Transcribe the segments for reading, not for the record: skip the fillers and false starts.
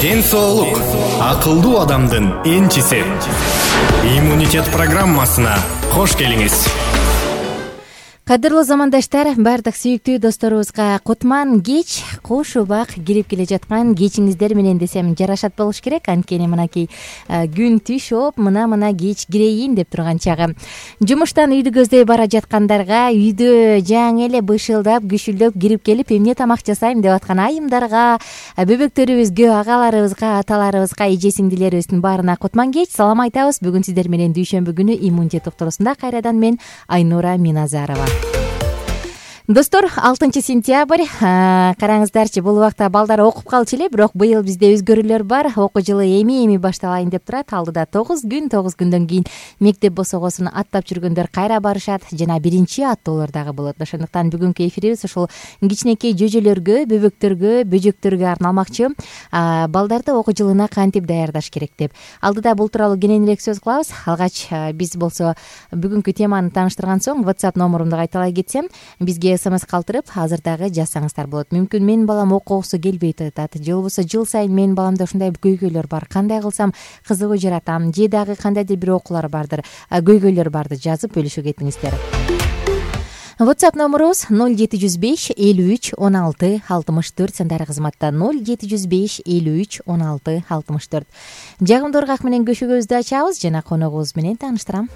Ден соолук акылдуу адамдын энчиси. Иммунитет программасына кош келиңиз. Кадырлуу замандаштар, бардык сүйүктүү досторубузга кутман кеч, кош убак кирип келе жаткан кечиңиздер менен десем жарашат болуш керек. Анткени мынакей күн түшүп, мына кеч кирейин деп турган чагы. Жумуштан үйдү көздөй бара жаткандарга, үйдө жаңы эле бышылдап, күшүлдөп кирип келип, эмне тамак жасайм деп аткан айымдарга, бөбөктөрүбүзгө, агаларыбызга, аталарыбызга, эже-сиңдилерибиздин баарына кутман кеч, салам айтабыз. Бүгүн сиздер менен дүйшөмбү күнү иммунитет токтоосунда кайрадан мен Айнура Миназарова. Достор, 6 сентябрь, караңыздарчы, бул убакта балдар окуп калчу эле, бирок быйыл бизде өзгөрүүлөр бар. Окуу жылы эми башталайын деп турат. Алдыда 9 күндөн кийин мектеп босогосун аттап жүргөндөр кайра барышат, жана биринчи аттоолор дагы болот. Ошондуктан бүгүнкү эфирибиз ушул кичинекей жөжөлөргө, бөбөктөргө, бөжөктөргө арналмакчы. Балдарды окуу жылына кантип даярдаш керек деп. Алдыда бул тууралуу кененирээк сөз кылабыз. Алгач биз болсо бүгүнкү теманы тааныштырган соң WhatsApp номурумду кайталай кетсем, бизге СМС калтырып азырдагы жазсаңыздар болот. Мүмкүн менин балам окугусу келбей атат, же болбосо жыл сайын менин баламда ушундай көйгөйлөр бар, кандай кылсам кызыгуу жаратам, же дагы кандайдыр бир окуулар бардыр, көйгөйлөр барды, жазып бөлүшүп кетиңиздер. WhatsApp номурубуз 0705 53 16 64 сандары кызматта 0705 53 16 64. Жагымдуу ыргак менен көшөгөбүздү ачабыз жана коногубуз менен тааныштырам.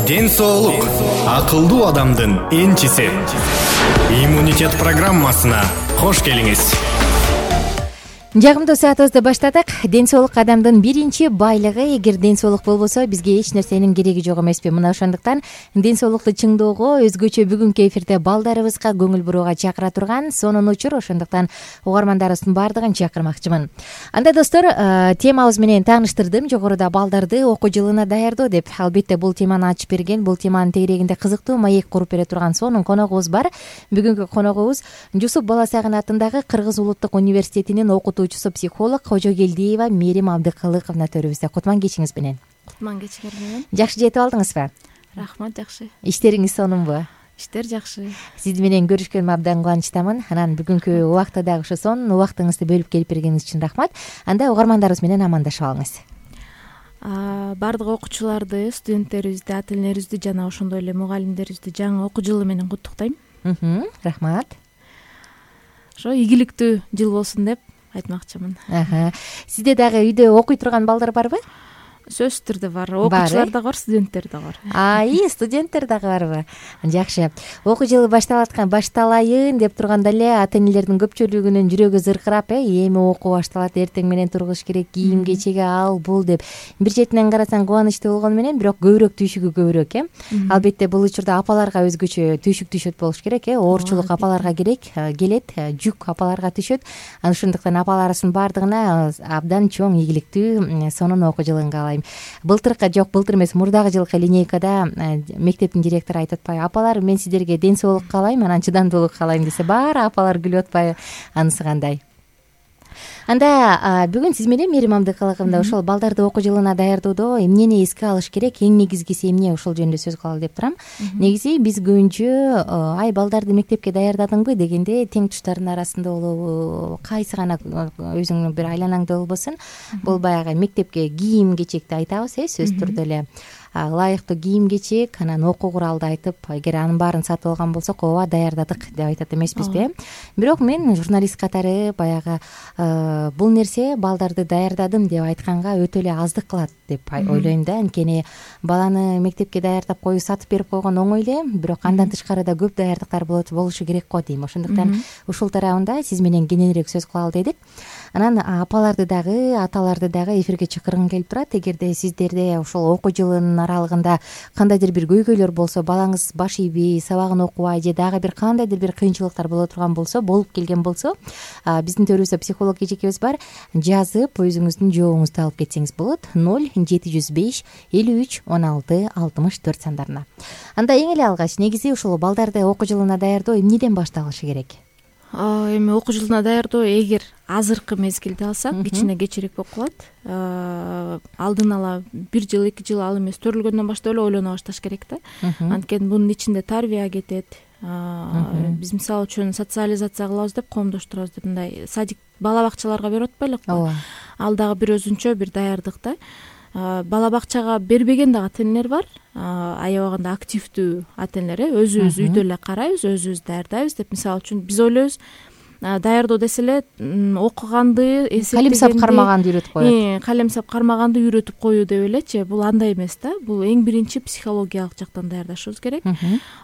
Ден соолук акылдуу адамдын энчиси. Иммунитет программасына кош келиңиз. Жагымдуу саатыбызды баштадык. Ден соолук адамдын биринчи байлыгы. Эгер ден соолук болбосо бизге эч нерсенин кереги жок эмеспи? Мына ошондуктан ден соолукту чыңдоого, өзгөчө бүгүнкү эфирде балдарыбызга көңүл бурууга чакыра турган сонун учур. Ошондуктан угармандарыбыздын баардыгын чакырмакчымын. Анда достор, темабыз менен тааныштырдым. Жогоруда балдарды окуу жылына даярдоо деп. Албетте бул теманы ачып берген, бул теманын тегерегинде кызыктуу маек куруп бере турган сонун коногубуз бар. Бүгүнкү коногубуз Жусуп Баласагын атындагы Кыргыз улуттук университетинин окутуучусу, психолог Кожогелдиева Мерим Абдыкалыковна төрүбүздө. Кутман кечиңиз менен. Кутман кечиңер менен. Жакшы жетип алдыңызбы? Рахмат, жакшы. Иштериңиз сонунбу? Иштер жакшы. Сиз менен көрүшкөнүмө абдан кубанычтамын. Анан бүгүнкү убакта дагы ошо сонун убактыңызды бөлүп келип бергениңиз үчүн рахмат. Анда угармандарыбыз менен амандашып алыңыз. Баардык окуучуларды, студенттерибизди, ата энелерибизди жана ошондой эле мугалимдерибизди жаңы окуу жылы менен куттуктайм. Рахмат. Ошо ийгиликтүү жыл болсун деп айтмакчымын. Сизде дагы үйдө окуй турган балдар барбы? Сөзсүз түрдө бар. Окуучулар дагы бар, студенттер дагы бар. Студенттер дагы барбы? Жакшы. Окуу жылы башталайын деп турганда эле ата энелердин көпчүлүгүнүн жүрөгү зыркырап, эми окуу башталат, эртең менен тургуш керек, кийим кечеги ал бул деп. Бир четинен карасаң кубанычтуу болгону менен, бирок көбүрөөк түйшүгү көбүрөөк. Албетте бул учурда апаларга өзгөчө түйшүк түшөт болуш керек. Оорчулук апаларга келет, жүк апаларга түшөт. Ошондуктан апаларыбыздын баардыгына абдан чоң ийгиликтүү сонун окуу жылын каалайм. Былтыр эмес, мурдагы жылкы линейкада мектептин директору айтып атпайбы: апалар, мен сиздерге ден соолук каалайм, анан чыдамдуулук каалайм десе, баары апалар күлүп атпайбы? Анысы кандай? Анда бүгүн сиз менен Мерим Абдыкалыковна ошол балдарды окуу жылына даярдоодо эмнени эске алыш керек, эң негизгиси эмне, ошол жөнүндө сөз кылалы деп турам. Негизи биз көбүнчө балдарды мектепке даярдадыңбы дегенде тең туштардын арасында болобу, кайсы гана өзүңдүн бир айланаңда болбосун, бул баягы мектепке кийим кечекти айтабыз, сөзсүз түрдө эле ылайыктуу кийим кечек, анан окуу куралды айтып, эгер анын баарын сатып алган болсок, ооба даярдадык деп айтат эмеспизби? Бирок мен журналист катары баягы бул нерсе балдарды даярдадым деп айтканга өтө эле аздык кылат деп ойлойм да. Анткени баланы мектепке даярдап коюу сатып берип койгон оңой эле, бирок андан тышкары да көп даярдыктар болушу керек го дейм. Ошондуктан ушул тарабында сиз менен кененирээк сөз кылалы дедик. Анан апаларды дагы, аталарды дагы эфирге чакыргым келип турат. Эгерде сиздерде ошол окуу жылынын аралыгында кандайдыр бир көйгөйлөр болсо, балаңыз баш ийбей, сабагын окубай же дагы бир кандайдыр бир кыйынчылыктар боло турган болсо, болуп келген болсо, биздин төрүбүздө психолог эжекебиз бар. Жазып, өзүңүздүн жообуңузду алып кетсеңиз болот. 0705 53 16 64 сандарына. Анда эң эле алгач, негизи ушул балдарды окуу жылына даярдоо эмнеден башталышы керек? Эми окуу жылына даярдоо эгер азыркы мезгилде алсак, кичине кечирээк болуп калат. Алдын ала 1 жыл, 2 жыл, ал эмес төрөлгөндөн баштап эле ойлоно башташ керек да. Анткени бунун ичинде тарбия кетет. Биз мисалы үчүн социализация кылабыз деп, коомдоштурабыз деп, мындай садик, бала бакчаларга берип атпайлыкпы? Ал дагы бир өзүнчө бир даярдык да. Бала бакчага бербеген дагы ата энелер бар. Аябаганда активдүү ата энелер, өзүбүз үйдө эле карайбыз, өзүбүз даярдайбыз деп. Мисалы үчүн биз ойлойбуз, даярдоо десе эле окуганды, эсептегенди, калем сап кармаганды үйрөтүп коет. Калем сап кармаганды үйрөтүп коюу деп элечи. Бул андай эмес да. Бул эң биринчи психологиялык жактан даярдашыбыз керек.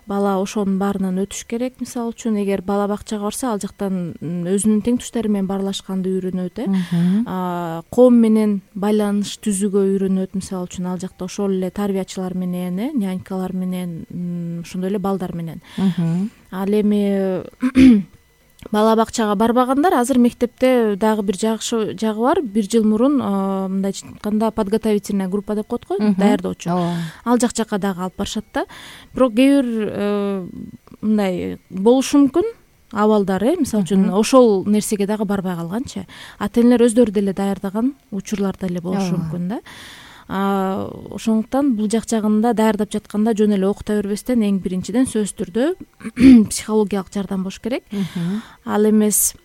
Бала ошонун баарынан өтүш керек. Мисалы үчүн, эгер бала бакчага барса, ал жактан өзүнүн тең туштары менен баарлашканды үйрөнөт. Коом менен байланыш түзүүгө үйрөнөт. Мисалы үчүн, ал жакта ошол эле тарбиячылар менен, нянькалар менен, ошондой эле балдар менен. Ал эми бала бакчага барбагандар азыр мектепте дагы бир жакшы жагы бар. 1 жыл мурун мындай айтканда подготовительная группа деп коет го, даярдоочу. Ал жакка дагы алып барышат да. Бирок кээ бир мындай болушу мүмкүн абалдар, мисалы үчүн ошол нерсеге дагы барбай калганчы. Ата энелер өздөрү деле даярдаган учурлар деле болушу мүмкүн да. Ошондуктан бул жагында даярдап жатканда жөн эле окута бербестен, эң биринчиден сөзсүз түрдө психологиялык жардам болуш керек. Ал эмес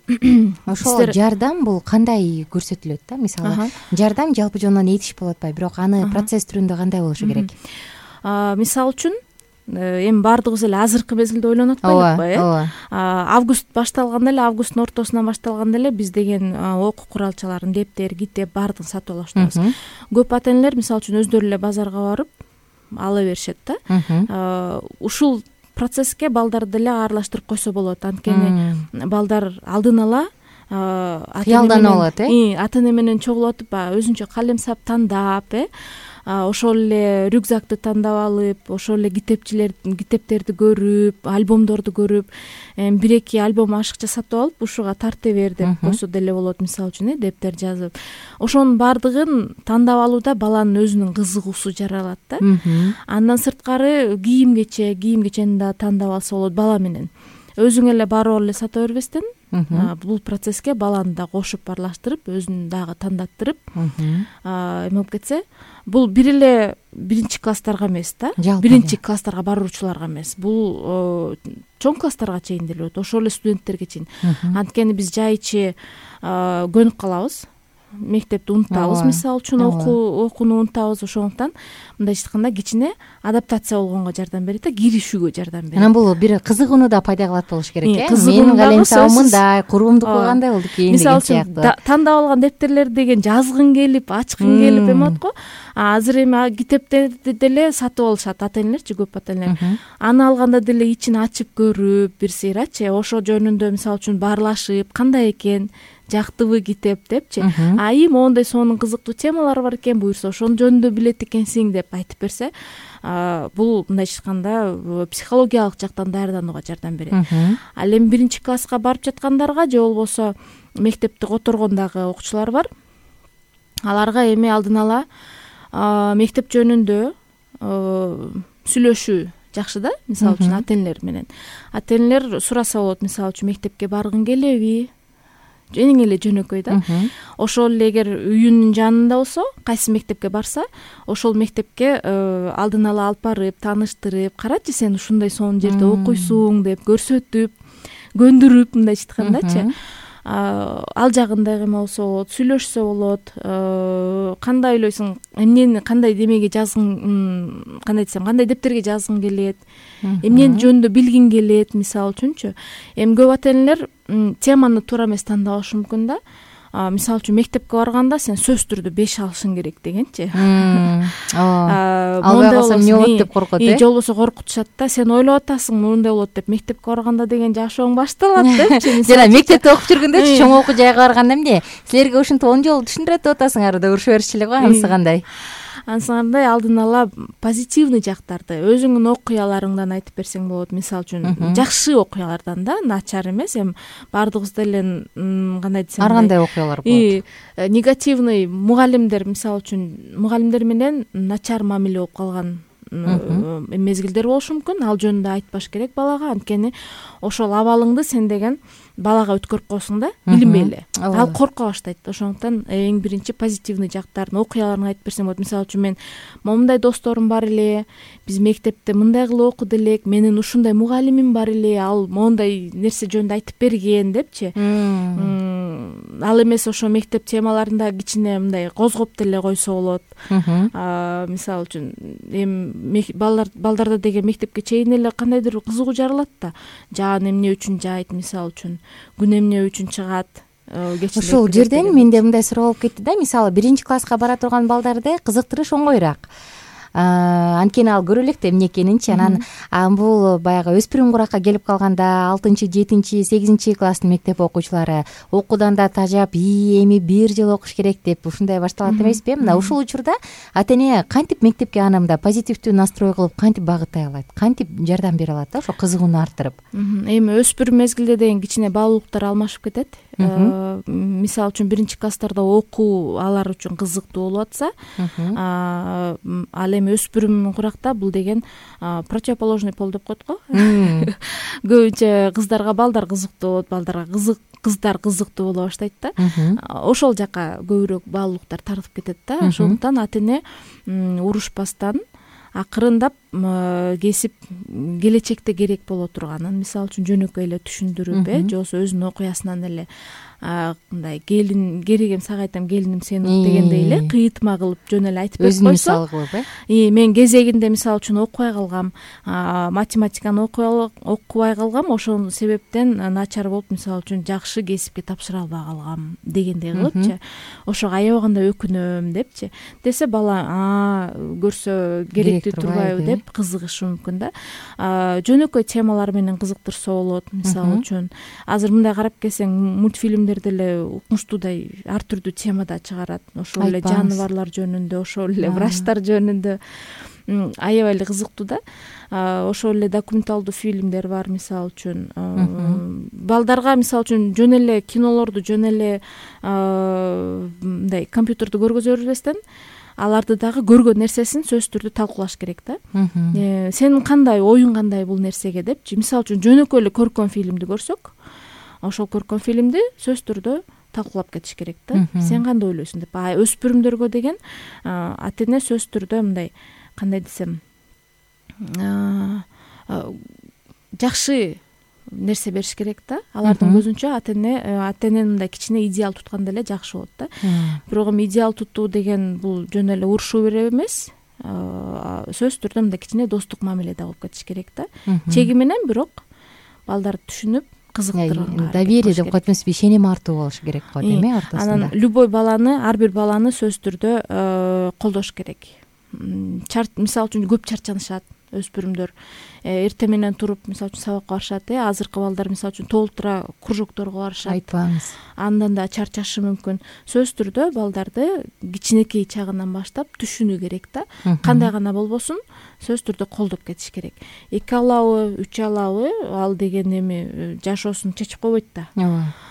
ошол жардам бул кандай көрсөтүлөт да? Мисалы, жардам жалпы жонунан этиш болуп атпайбы, бирок аны процесс түрүндө кандай болушу керек? Мисалы үчүн, эми баардыгыбыз эле азыркы мезгилде ойлонуп атпайлыкпы? Август башталганда эле, августтун ортосунан башталганда эле биз деген окуу куралчаларын, дептер, китеп баардыгын сатып ала баштайбыз. Көп ата энелер мисалы үчүн өздөрү эле базарга барып ала беришет да. Ушул процесске балдарды деле аралаштырып койсо болот. Анткени балдар алдын ала кыялданып алат, ата эне менен чогулуп атып баягы өзүнчө калем сап тандап, ошол эле рюкзакты тандап алып, ошол эле китептерди көрүп, альбомдорду көрүп, 1-2 альбом ашыкча сатып алып ушуга тарта бер деп койсо деле болот, мисалы үчүн дептер жазып. Ошонун баардыгын тандап алууда баланын өзүнүн кызыгуусу жаралат да. Андан сырткары кийим-кечени да тандап алса болот бала менен. Өзүң эле барып эле сата бербестен бул процесске баланы да кошуп аралаштырып, өзүн дагы тандаттырып эме болуп кетсе, бул бир эле 1-класстарга эмес да, 1-класстарга баруучуларга эмес, бул чоң класстарга чейин деле болот, ошол эле студенттерге чейин. Анткени биз жай ичи көнүп калабыз, мектепти унутабыз, мисалы үчүн окууну унутабыз. Ошондуктан мындайча айтканда кичине адаптация болгонго жардам берет да, киришүүгө жардам берет. Анан бул бир кызыгууну да пайда кылат болуш керек, менин калемсабым мындай, курбумдуку кандай болду экен деген сыяктуу. Мисалы үчүн тандап алган дептерleri деген жазгың келип, ачкың келип эме болот го. Азыр эми китептерди деле сатып алышат ата энелерчи, көп ата энелер. Аны алганда деле ичин ачып көрүп, бир сыйрачы ошо жөнүндө мисалы үчүн баарлашып, кандай экен, жактыбы китеп депчи. Айым моундай сонун кызыктуу темалары бар экен, буюрса ошонун жөнүндө билет экенсиң деп айтып берсе, бул мындайча айтканда психологиялык жактан даярданууга жардам берет. Ал эми 1-класска барып жаткандарга же болбосо мектепти которгондагы окуучулар бар. Аларга эми алдын ала мектеп жөнүндө сүйлөшүү жакшы да, мисалы үчүн ата энелер менен. Ата энелер сураса болот, мисалы үчүн мектепке баргың келеби? Эң эле жөнөкөй да. Ошол эле эгер үйүнүн жанында болсо, кайсы мектепке барса, ошол мектепке алдын ала алып барып, тааныштырып, карачы сен ушундай сонун жерде окуйсуң деп көрсөтүп, көндүрүп, мындайча айткандачы. Ал жагында эме болсо болот, сүйлөшсө болот. Кандай ойлойсуң, эмнени кандай демеге жазгың, кандай десем, кандай дептерге жазгың келет, эмнени жөнүндө билгиң келет, мисалы үчүнчү. Эми көп ата энелер теманы туура эмес тандабашы мүмкүн да. Мисалы үчүн мектепке барганда сен сөзсүз түрдө 5 алышың керек дегенчи. Албай калсам эмне болот деп коркот, же болбосо коркутушат да, сен ойлоп атасың мындай болот деп, мектепке барганда деген жашооң башталат депчи. Жана мектепте окуп жүргөндө чоң окуу жайга барганда эмне? Силерге ушинтип 10 жолу түшүндүрөт деп атасың, арада урушуп беришчү эле го, анысы кандай? Анысы кандай, алдын ала позитивный жактарды, өзүңдүн окуяларыңдан айтып берсең болот, мисалы үчүн жакшы окуялардан да, начар эмес. Эми баардыгыбыз деле кандай десем, ар кандай окуялар болот. Негативный мугалимдер, мисалы үчүн мугалимдер менен начар мамиле болуп калган мезгилдер болушу мүмкүн. Ал жөнүндө айтпаш керек балага, анткени ошол абалыңды сен деген балага өткөрүп коесуң да, билинбей эле. Ал корко баштайт. Ошондуктан эң биринчи позитивный жактарын, окуяларын айтып берсең болот. Мисалы үчүн мен момундай досторум бар эле, биз мектепте мындай кылып окуду элек, менин ушундай мугалимим бар эле, ал моундай нерсе жөнүндө айтып берген депчи. Ал эмес ошо мектеп темаларында кичине мындай козгоп деле койсо болот. Мисалы үчүн эми балдарда деген мектепке чейин эле кандайдыр кызыгуу жаралат да. Жаан эмне үчүн жайт, мисалы үчүн күн эмне үчүн чыгат. Ушул жерден менде мындай суроо болуп кетти да. Мисалы 1-класска бара турган балдарды кызыктырыш оңоюраак. Анткени ал көрө элек да эмне экенинчи. Анан бул баягы өспүрүм куракка келип калганда 6-чы, 7-чи, 8-чи класстын мектеп окуучулары окуудан да тажап, эми бир жыл окуш керек деп ушундай башталат эмеспи? Мына ушул учурда ата эне кантип мектепке аны мындай позитивдүү настрой кылып кантип багыттай алат, кантип жардам бере алат да, ошо кызыгууну арттырып? Эми өспүрүм мезгилде деген кичине баалуулуктар алмашып кетет. Мисалы үчүн 1-класстарда окуу алар үчүн кызыктуу болуп атса, ал эми өспүрүм куракта бул деген противоположный пол деп коет го. Көбүнчө кыздарга балдар кызыктуу болот, балдарга кыздар кызыктуу боло баштайт да. Ошол жака көбүрөөк баалуулуктар тартып кетет да. Ошондуктан ата эне урушпастан акырындап кесип келечекте керек боло турганын, мисалы үчүн жөнөкөй эле түшүндүрүп, же болбосо өзүнүн окуясынан эле мындай керегем сага айтам, келиним сен ук дегендей эле кыйытма кылып жөн эле айтып берип койсо, өзүн мисал кылып, мен кезегинде мисалы үчүн окубай калгам, математиканы окубай калгам, ошол себептен начар болуп, мисалы үчүн жакшы кесипке тапшыра албай калгам дегендей кылыпчы, ошого аябаганда өкүнөм депчи десе, бала көрсө керектүү турбайбы деп деп кызыгышы мүмкүн да. Жөнөкөй темалар менен кызыктырса болот. Мисалы үчүн азыр мындай карап келсең, мультфильмдер деле укмуштуудай ар түрдүү темада чыгарат. Ошол эле жаныбарлар жөнүндө, ошол эле врачтар жөнүндө аябай эле кызыктуу да. Ошол эле документалдуу фильмдер бар, мисалы үчүн. Балдарга мисалы үчүн жөн эле кинолорду, жөн эле мындай компьютерди көргөзө бербестен, аларды дагы көргөн нерсесин сөзсүз түрдө талкуулаш керек да. Сенин кандай оюң кандай бул нерсеге депчи. Мисалы үчүн жөнөкөй эле көркөм фильмди көрсөк, ошол көркөм фильмди сөзсүз түрдө талкуулап кетиш керек да. Сен кандай ойлойсуң деп. Өспүрүмдөргө деген ата эне сөзсүз түрдө мындай, кандай десем, жакшы нерсе бериш керек да. Алардын көзүнчө ата эненин мындай кичине идеал тутканда эле жакшы болот да. Бирок эми идеал тутуу деген бул жөн эле урушуу берип эмес, сөзсүз түрдө мындай кичине достук мамиледе болуп кетиш керек да. Чеги менен, бирок балдарды түшүнүп кызыктырган. Доверие деп коет эмеспи, ишеним артуу болуш керек го эми ортосунда. Анан любой баланы, ар бир баланы сөзсүз түрдө колдош керек. Мисалы үчүн көп чарчанышат өспүрүмдөр. Эртең менен туруп, мисалы үчүн сабакка барышат. Азыркы балдар мисалы үчүн толтура кружокторго барышат. Айтпаңыз. Андан да чарчашы мүмкүн. Сөзсүз түрдө балдарды кичинекей чагынан баштап түшүнүү керек да. Кандай гана болбосун, сөзсүз түрдө колдоп кетиш керек. 2 алабы, 3 алабы, ал деген эми жашоосун чечип койбойт да.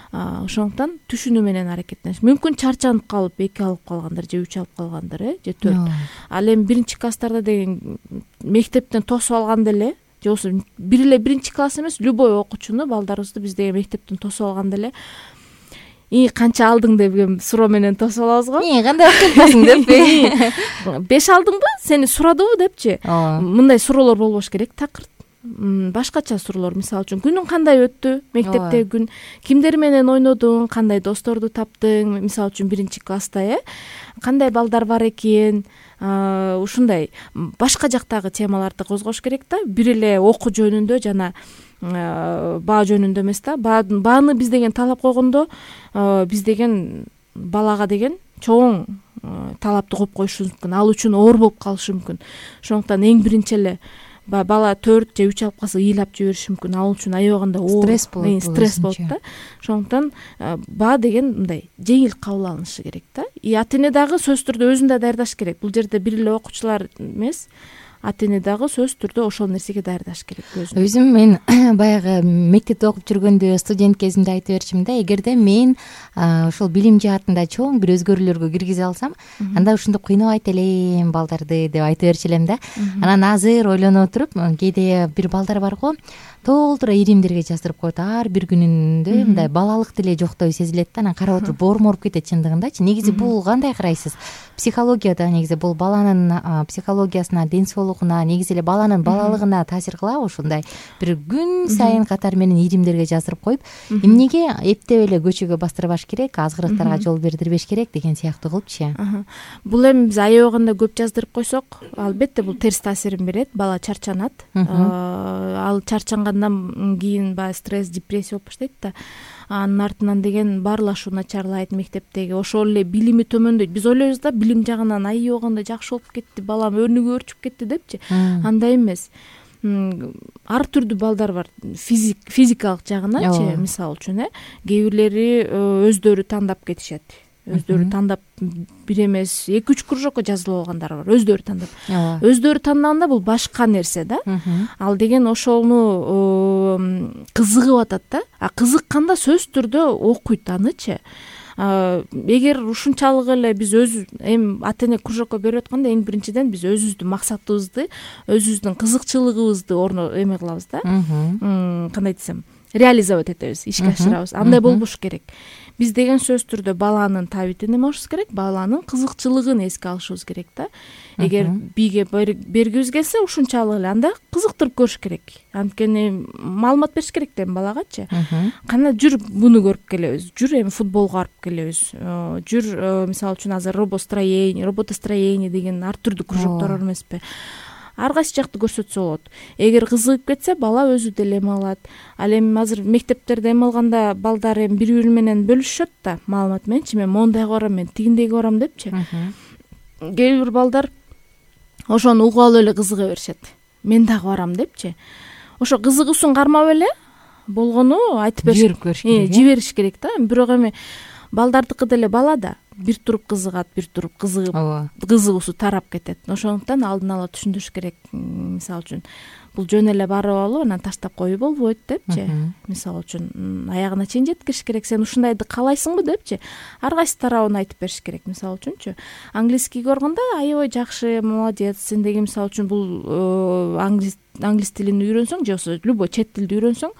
Ошондуктан түшүнүү менен аракеттениш. Мүмкүн чарчанып калып 2 алып калгандар же 3 алып калгандар, же 4. Ал эми 1-класстарда деген мектептен тосуп алганда эле, же болбосо бир эле 1-класс эмес, любой окуучуну, балдарыбызды биз деген мектептен тосуп алганда эле канча алдың деген суроо менен тосуп алабыз го. Кандай окуйсуң деппи? 5 алдыңбы? Сени сурадыбы депчи. Мындай суроолор болбош керек. Такыр башкача суроолор, мисалы үчүн күнүң кандай өттү, мектептеги күн, кимдер менен ойнодуң, кандай досторду таптың, мисалы үчүн 1-класста, кандай балдар бар экен, ушундай башка жактагы темаларды козгош керек да. Бир эле окуу жөнүндө жана баа жөнүндө эмес да. Бааны биз деген талап койгондо, биз деген балага деген чоң талапты коюп коюшубуз мүмкүн. Ал үчүн оор болуп калышы мүмкүн. Ошондуктан эң биринчи эле бала 4 же 3 алып калса ыйлап жибериши мүмкүн. Ал үчүн аябаганда стресс болот да. Ошондуктан баа деген мындай жеңил кабыл алынышы керек да. Ата эне дагы сөзсүз түрдө өзүн да даярдаш керек. Бул жерде бир эле окуучулар эмес, ата эне дагы сөзсүз түрдө ошол нерсеге даярдаш керек өзүн. Өзүм мен баягы мектепте окуп жүргөндө, студент кезимде айтып берчимин да, эгерде мен ошол билим жаатында чоң бир өзгөрүүлөргө киргизе алсам, анда ушинтип кыйнабайт элем балдарды деп айтып берчү элем да. Анан азыр ойлонуп отуруп, кээде бир балдар бар го, толтура иримдерге жаздырып коет. Ар бир күнүндө мындай балалык деле жоктой сезилет да. Анан карап отуруп боорум ооруп кетет чындыгындачы. Негизи бул кандай карайсыз? Психологияда негизи бул баланын психологиясына, ден соолугуна, негизи эле баланын балалыгына таасир кылабы ушундай бир күн сайын катар менен иримдерге жаздырып коюп, эмнеге эптеп эле көчөгө бастырбаш керек, азгырыктарга жол бердирбеш керек деген сыяктуу кылыпчы. Бул эми биз аябаганда көп жаздырып койсок, албетте бул терс таасирин берет. Бала чарчанат. Ал чарчангандан кийин баягы стресс, депрессия болуп баштайт да. Анын артынан деген баарлашуу начарлайт мектептеги. Ошол эле билими төмөндөйт. Биз ойлойбуз да, билим жагынан аябаганда жакшы болуп кетти, балам өнүгүп өрчүп кетти депчи. Андай эмес. Ар түрдүү балдар бар. Физикалык жагыначы, мисалы үчүн, кээ бирлери өздөрү тандап кетишет. Өздөрү тандап бир эмес 2-3 кружокко жазылып алгандар бар. Өздөрү тандап. Өздөрү тандаганда бул башка нерсе да. Ал деген ошону кызыгып атат да. Кызыкканда сөзсүз түрдө окуйт анычы. Эгер ушунчалык эле биз эми ата эне кружокко берип атканда, эң биринчиден биз өзүбүздүн максатыбызды, өзүбүздүн кызыкчылыгыбызды эме кылабыз да. Кандай десем, реализовать этебиз, ишке ашырабыз. Андай болбош керек. Биз деген сөзсүз түрдө баланын табитин эме кылышыбыз керек, баланын кызыкчылыгын эске алышыбыз керек да. Эгер бийге бергибиз келсе, ушунчалык эле анда кызыктырып көрүш керек. Анткени маалымат бериш керек да балагачы. Кана жүр буну көрүп келебиз, жүр эми футболго барып келебиз, жүр мисалы үчүн азыр роботостроение деген ар түрдүү кружоктор бар эмеспи. Ар кайсы жакты көрсөтсө болот. Эгер кызыгып кетсе, бала өзү деле эме алат. Ал эми азыр мектептерде эме алганда балдар эми бири-бири менен бөлүшөт да маалымат мененчи. Мен мондайга барам, мен тигиндейге барам депчи. Кээ бир балдар ошону угуп алып эле кызыга беришет. мен дагы барам депчи. Ошо кызыгуусун кармап эле болгону айтып жиберип көрүш керек, жибериш керек да. Бирок эми балдардыкы деле бала да бир туруп кызыгат, бир туруп кызыгуусу тарап кетет. Ошондуктан алдын ала түшүндүрүш керек. Мисалы үчүн бул жөн эле барып алып анан таштап коюп болбойт депчи. Мисалы үчүн аягына чейин жеткириш керек. Сен ушундайды каалайсыңбы депчи. Ар кайсы тарабын айтып бериш керек. Мисалы үчүнчү английский көргөндө аябай жакшы, молодец. Сен деги мисалы үчүн бул англис тилин үйрөнсөң же болбосо любой чет тилди үйрөнсөң,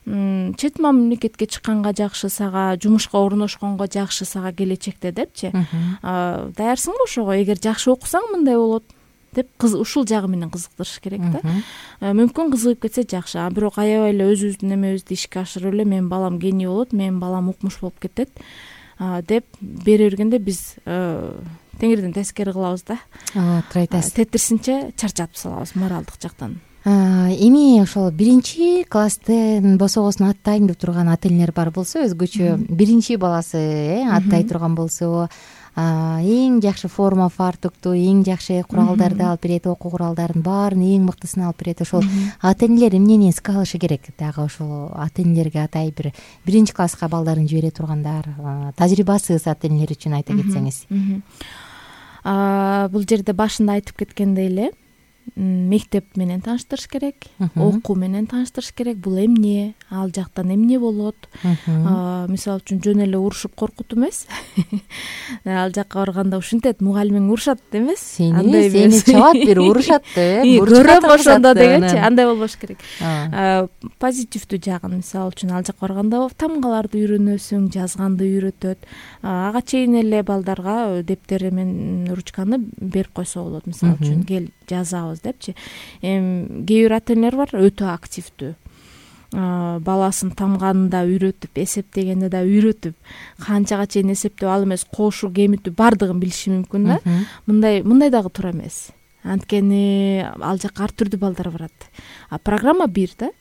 чет мамлекетке чыкканга жакшы, сага жумушка орношконго жакшы, сага келечекте депчи. Даярсыңбы ошого? Эгер жакшы окусаң мындай болот деп ушул жагы менен кызыктырыш керек да. Мүмкүн кызыгып кетсе жакшы, бирок аябай эле өзүбүздүн эмебизди ишке ашырып эле менин балам гений болот, менин балам укмуш болуп кетет деп бере бергенде биз теңирден тескери кылабыз да. Туура айтасыз. Тетирисинче чарчатып салабыз моралдык жактан. Эми ошол 1-класстын босогосун аттайм деп турган ата энелер бар болсо, өзгөчө 1-баласы аттай турган болсо, эң жакшы форма фартукту, эң жакшы куралдарды алып берет, окуу куралдарын баарын эң мыктысын алып берет. Ошол ата энелер эмнени эске алышы керек? Дагы ошол ата энелерге атай бир 1-класска балдарын жибере тургандар, тажрыйбасыз ата энелер үчүн айта кетсеңиз. Бул жерде башында айтып кеткендей эле мектеп менен тааныштырыш керек, окуу менен тааныштырыш керек. Бул эмне, ал жактан эмне болот? Мисалы үчүн жөн эле урушуп коркутуу эмес. Ал жакка барганда ушинтет, мугалимиң урушат эмес. Сени чабат, бир урушат деп, көрөм ошондо дегенчи, андай болбош керек. Позитивдүү жагын, мисалы үчүн ал жакка барганда тамгаларды үйрөнөсүң, жазганды үйрөтөт. Ага чейин эле балдарга дептери менен ручканы берип койсо болот. Мисалы үчүн кел жазабыз депчи. Кээ бир ата энелер бар өтө активдүү. Баласын тамганын да үйрөтүп, эсептегенди да үйрөтүп, канчага чейин эсептеп, ал эмес кошуу, кемитүү бардыгын билиши мүмкүн да. Мындай дагы туура эмес. Анткени ал жакка ар түрдүү балдар барат. Программа бир да.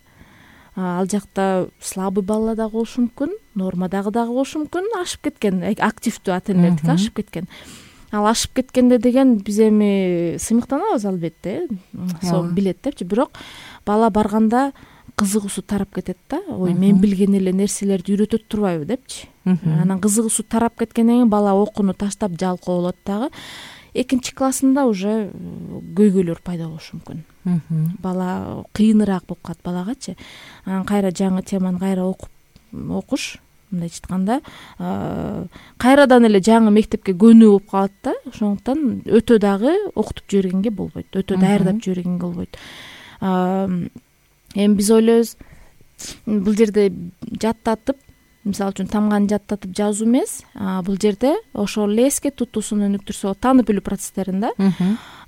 Ал жакта слабый балла дагы болушу мүмкүн, нормадагы дагы болушу мүмкүн, ашып кеткен, активдүү ата энелердики ашып кеткен. Ал ашып кеткенде деген биз эми сыймыктанабыз албетте, сол билет депчи. Бирок бала барганда кызыгуусу тарап кетет да. Ой, мен билген эле нерселерди үйрөтөт турбайбы депчи. Анан кызыгуусу тарап кеткенден кийин бала окууну таштап жалкоо болот дагы. 2-классында уже көйгөйлөр пайда болушу мүмкүн. Бала кыйыныраак болуп калат балагачы. Анан кайра жаңы теманы кайра окуш, мындайча айтканда, кайрадан эле жаңы мектепке көнүү болуп калат да. Ошондуктан өтө дагы окутуп жибергенге болбойт, өтө даярдап жибергенге болбойт. Эми биз ойлойбуз, бул жерде жаттатып, мисалы үчүн тамганы жаттатып жазуу эмес, бул жерде ошол эле эске тутуусун өнүктүрсө, таанып билүү процесстерин да,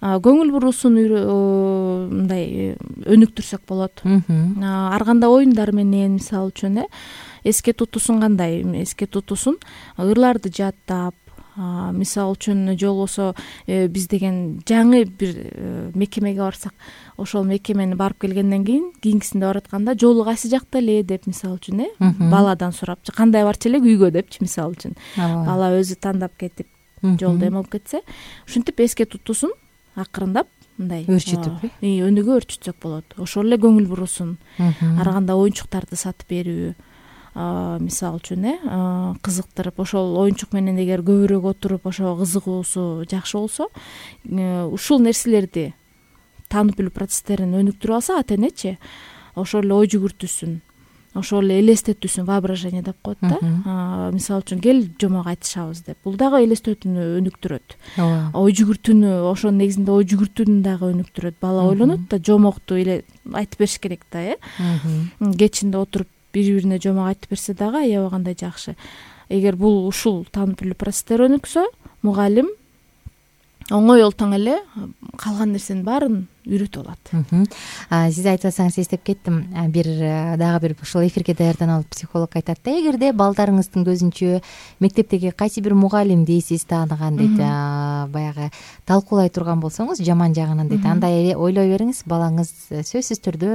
көңүл буруусун мындай өнүктүрсөк болот. Ар кандай оюндар менен, мисалы үчүн эске тутуусун кандай? Эске тутуусун ырларды жаттап, мисалы үчүн же болбосо биз деген жаңы бир мекемеге барсак, ошол мекемени барып келгенден кийин кийинкисинде баратканда жолу кайсы жакта эле деп, мисалы үчүн баладан сурапчы, кандай барчу эле үйгө депчи, мисалы үчүн. Бала өзү тандап кетип жолдо эме болуп кетсе, ушинтип эске тутуусун акырындап мындай өрчүтүп, өнүгө өрчүтсөк болот. Ошол эле көңүл буруусун, ар кандай оюнчуктарды сатып берүү, мисалы үчүн кызыктырып, ошол оюнчук менен эгер көбүрөөк отуруп, ошого кызыгуусу жакшы болсо, ушул нерселерди таанып билүү процесстерин өнүктүрүп алса ата энечи, ошол эле ой жүгүртүүсүн, ошол эле элестетүүсүн, воображение деп коет да. Мисалы үчүн кел жомок айтышабыз деп. Бул дагы элестетүүнү өнүктүрөт. Ой жүгүртүүнү, ошонун негизинде ой жүгүртүүнү дагы өнүктүрөт. Бала ойлонот да, жомокту эле айтып бериш керек да, кечинде отуруп бири-бирине жомок айтып берсе дагы аябай кандай жакшы. Эгер бул ушул таанып билүү процесстери өнүксө, мугалим оңой олтоң эле калган нерсенин баарын үйрөтүп алат. Сиз айтып атсаңыз эстеп кеттим. Дагы бир ушул эфирге даярданып алып психолог айтат да, эгерде балдарыңыздын көзүнчө мектептеги кайсы бир мугалимди сиз тааныган дейт, баягы талкуулай турган болсоңуз жаман жагынан дейт, андай ойлой бериңиз, балаңыз сөзсүз түрдө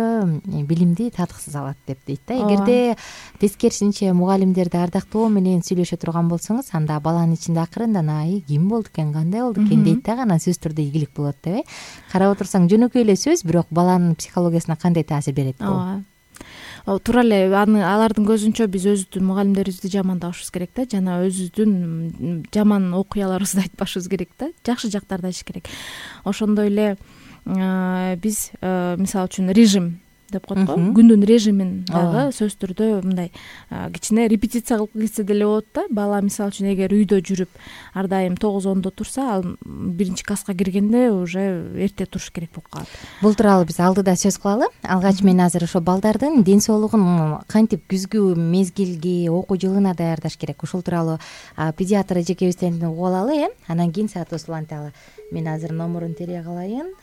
билимди татыксыз алат деп дейт да. Эгерде тескерисинче мугалимдерди ардактоо менен сүйлөшө турган болсоңуз, анда баланын ичинде акырындан ким болду экен, кандай болду экен дейт дагы, анан сөзсүз түрдө ийгилик болот деп. Карап отурсаң жөн жөнөкөй эле сөз, бирок баланын психологиясына кандай таасир берет бул? Ооба, туура эле алардын көзүнчө биз өзүбүздүн мугалимдерибизди жамандабашыбыз керек да, жана өзүбүздүн жаман окуяларыбызды айтпашыбыз керек да, жакшы жактарды айтыш керек. Ошондой эле биз мисалы үчүн режим деп коет го, күндүн режимин дагы сөзсүз түрдө мындай кичине репетиция кылып кетсе деле болот да. Бала мисалы үчүн эгер үйдө жүрүп ар дайым 9-10 турса, ал 1-класска киргенде уже эрте туруш керек болуп калат. Бул тууралуу биз алдыда сөз кылалы. Алгач мен азыр ошо балдардын ден соолугун кантип күзгү мезгилге, окуу жылына даярдаш керек, ушул тууралуу педиатр эжекебизден угуп алалы, анан кийин саатыбыз уланталы. Мен азыр номурун терип калайын.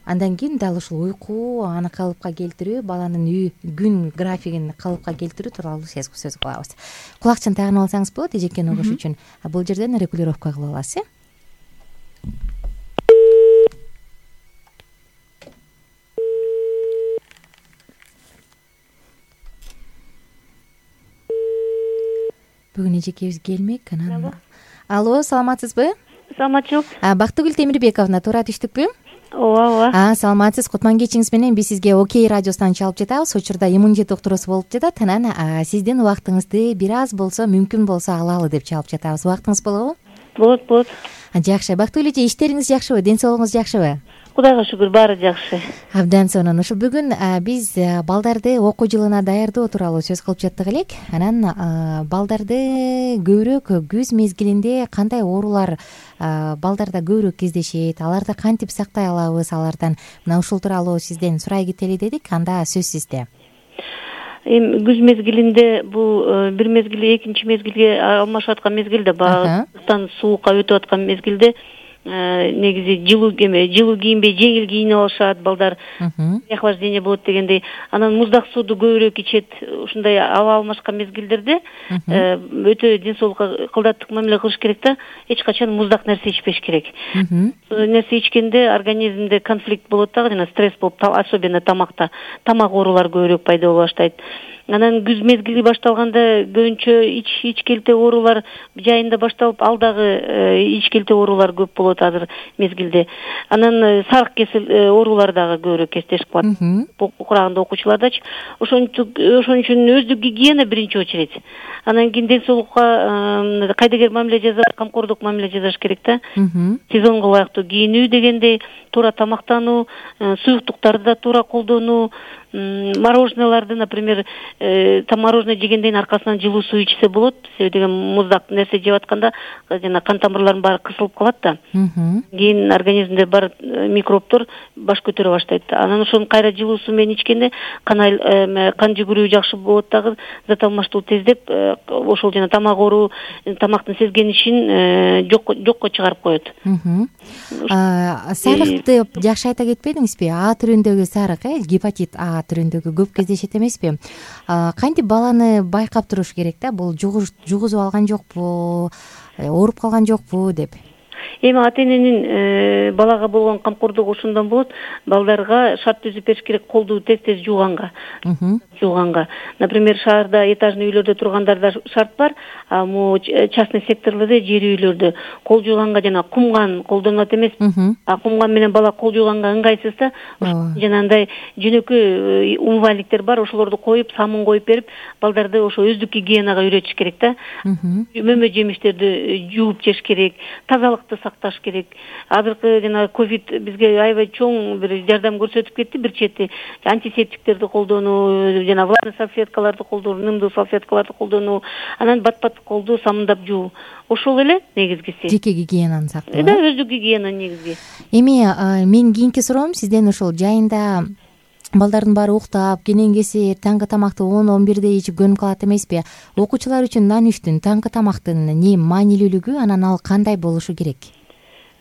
Андан кийин дал ушул уйку, аны калыпка келтирүү, баланын күн графигин калыпка келтирүү тууралуу сөз кылабыз. Кулакчын тагынып алсаңыз болот эжекени угуш үчүн. Бул жерден регулировка кылып аласыз. Бүгүн эжекебиз келмек. Алло, саламатсызбы? Саламатчылык. Бактыгүл Темирбековна, туура түштүкпү? Ооба. Саламатсыз. Кутман кечиңиз менен биз сизге Окей радиосунан чалып жатабыз. Учурда иммунитет уктуруусу болуп жатат. Анан сиздин убактыңызды бир аз болсо, мүмкүн болсо алалы деп чалып жатабыз. Убактыңыз болобу? Болот. Жакшы. Бактыгүл эже, иштериңиз жакшыбы? Ден соолугуңуз жакшыбы? Кудайга шүгүр, баары жакшы. Абдан сонун. Ушул бүгүн биз балдарды окуу жылына даярдоо тууралуу сөз кылып жаттык элек. Анан балдарды көбүрөөк күз мезгилинде кандай оорулар балдарда көбүрөөк кездешет, аларды кантип сактай алабыз алардан? Мына ушул тууралуу сизден сурай кетели дедик. Анда сөз сизде. Эми күз мезгилинде бул бир мезгил экинчи мезгилге алмашып аткан мезгилде, багыстан суукка өтүп аткан мезгилде негизи жылуу кийинбей жеңил кийинип алышат балдар, охлаждение болот дегендей. Анан муздак сууду көбүрөөк ичет. Ушундай аба алмашкан мезгилдерде өтө ден соолукка кылдаттык мамиле кылыш керек да. Эч качан муздак нерсе ичпеш керек. Нерсе ичкенде организмде конфликт болот дагы, жана стресс болуп, особенно тамакта, тамак оорулары көбүрөөк пайда боло баштайт. Анан күз мезгили башталганда көбүнчө ичкелте оорулар жайында башталып, ал дагы ичкелте оорулар көп болот азыр мезгилде. Анан сарык кесел оорулары дагы көбүрөөк кездешип калат курагында окуучулардачы. Ошон үчүн өздүк гигиена биринчи очередь. Анан кийин ден соолукка кайдыгер мамиле жасап, камкордук мамиле жасаш керек да. Сезонго ылайыктуу кийинүү дегендей, туура тамактануу, суюктуктарды да туура колдонуу, мороженолорду, например, мороженое жегенден аркасынан жылуу суу ичсе болот. Себеби деген муздак нерсе жеп атканда жана кан тамырлардын баары кысылып калат да. Кийин организмде бар микробдор баш көтөрө баштайт. Анан ошону кайра жылуу суу менен ичкенде кан жүгүрүү жакшы болот дагы, зат алмаштыруу тездеп, ошол жана тамак оору, тамактын сезгенишин жокко чыгарып коет. Сарыкты жакшы айта кетпедиңизби? А түрүндөгү сарык, гепатит А түрүндөгү көп кездешет эмеспи? Кантип баланы байкап туруш керек да? Бул жугузуп алган жокпу, ооруп калган жокпу деп. Эми ата-эненин балага болгон камкордугу ушундан болот. Балдарга шарт түзүп бериш керек, колду тез жууганга. Например, шаарда этажный үйлөрдө тургандарда шарт бар, а частный секторлордо, жер үйлөрдө кол жууганга жана кумган колдонулат эмес. А кумган менен бала кол жууганга ыңгайсыз да. Жанагындай жөнөкөй умывальниктер бар, ошолорду коюп, самын коюп берип, балдарды ошо өздүк гигиенага үйрөтүш керек да. Мөмө жемиштерди жууп жеш керек, тазалыкты сакташ керек. Азыркы жана ковид бизге аябай чоң бир жардам көрсөтүп кетти. Бир чети антисептиктерди колдонуу, жана влажный салфеткаларды колдонуу, нымдуу салфеткаларды колдонуу, анан бат-бат колду самындап жуу. Ошол эле негизгиси. Жеке гигиенаны сактоо. Да, өздүк гигиена негизги. Эми мен кийинки суроом сизден ушул жайында балдардын баары уктап, кенен кесир, таңкы тамакты 10-11де ичип көнүп калат эмеспи? Окуучулар үчүн нанүштүн, таңкы тамактын эмне маанилүүлүгү, анан ал кандай болушу керек?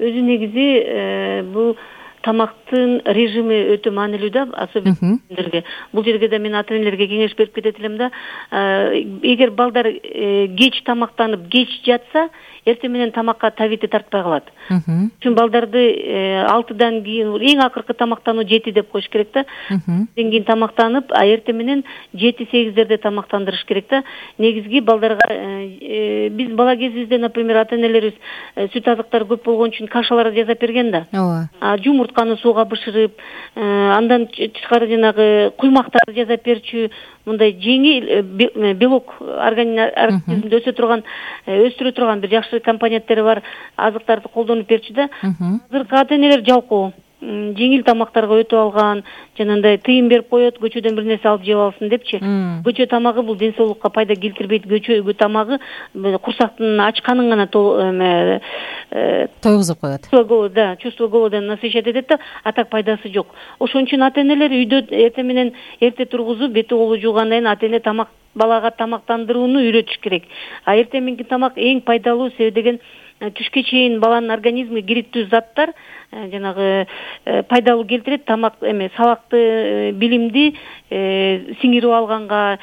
Өзү негизи бул тамактын режими өтө маанилүү да, особенно сиздерге. Бул жерге да мен ата-энелерге кеңеш берип кетет элем да. Эгер балдар кеч тамактанып, кеч жатса, эртең менен тамакка табити тартпай калат. Үчүн балдарды 6-дан кийин эң акыркы тамактануу 7 деп коюш керек да. Кийин тамактанып, эртең менен 7-8дерде тамактандырыш керек да. Негизги балдарга биз бала кезибизде, например, ата-энелерибиз сүт азыктары көп болгон үчүн кашалар жасап берген да. Жумурт жумуртканы сууга бышырып, андан тышкары жанагы куймактарды жасап берчү, мындай жеңил белок организмде өстүрө турган бир жакшы компоненттери бар азыктарды колдонуп берчү да. Азыркы ата-энелер жалкоо. Жеңил тамактарга өтүп алган, жанагындай тыйым берип коет, көчөдөн бир нерсе алып жеп алсын депчи. Көчө тамагы бул ден соолукка пайда келтирбейт. Көчө тамагы курсактын ачканын гана тойгузуп коет. Да, чувство голода насыщать этет да, а так пайдасы жок. Ошон үчүн ата-энелер үйдө эрте тургузуп, бети колу жуугандан кийин ата-эне балага тамактандырууну үйрөтүш керек. А эртең мененки тамак эң пайдалуу, себеби деген түшкө чейин баланын организмине керектүү заттар жанагы пайдалуу келтирет. Тамак сабакты, билимди сиңирип алганга,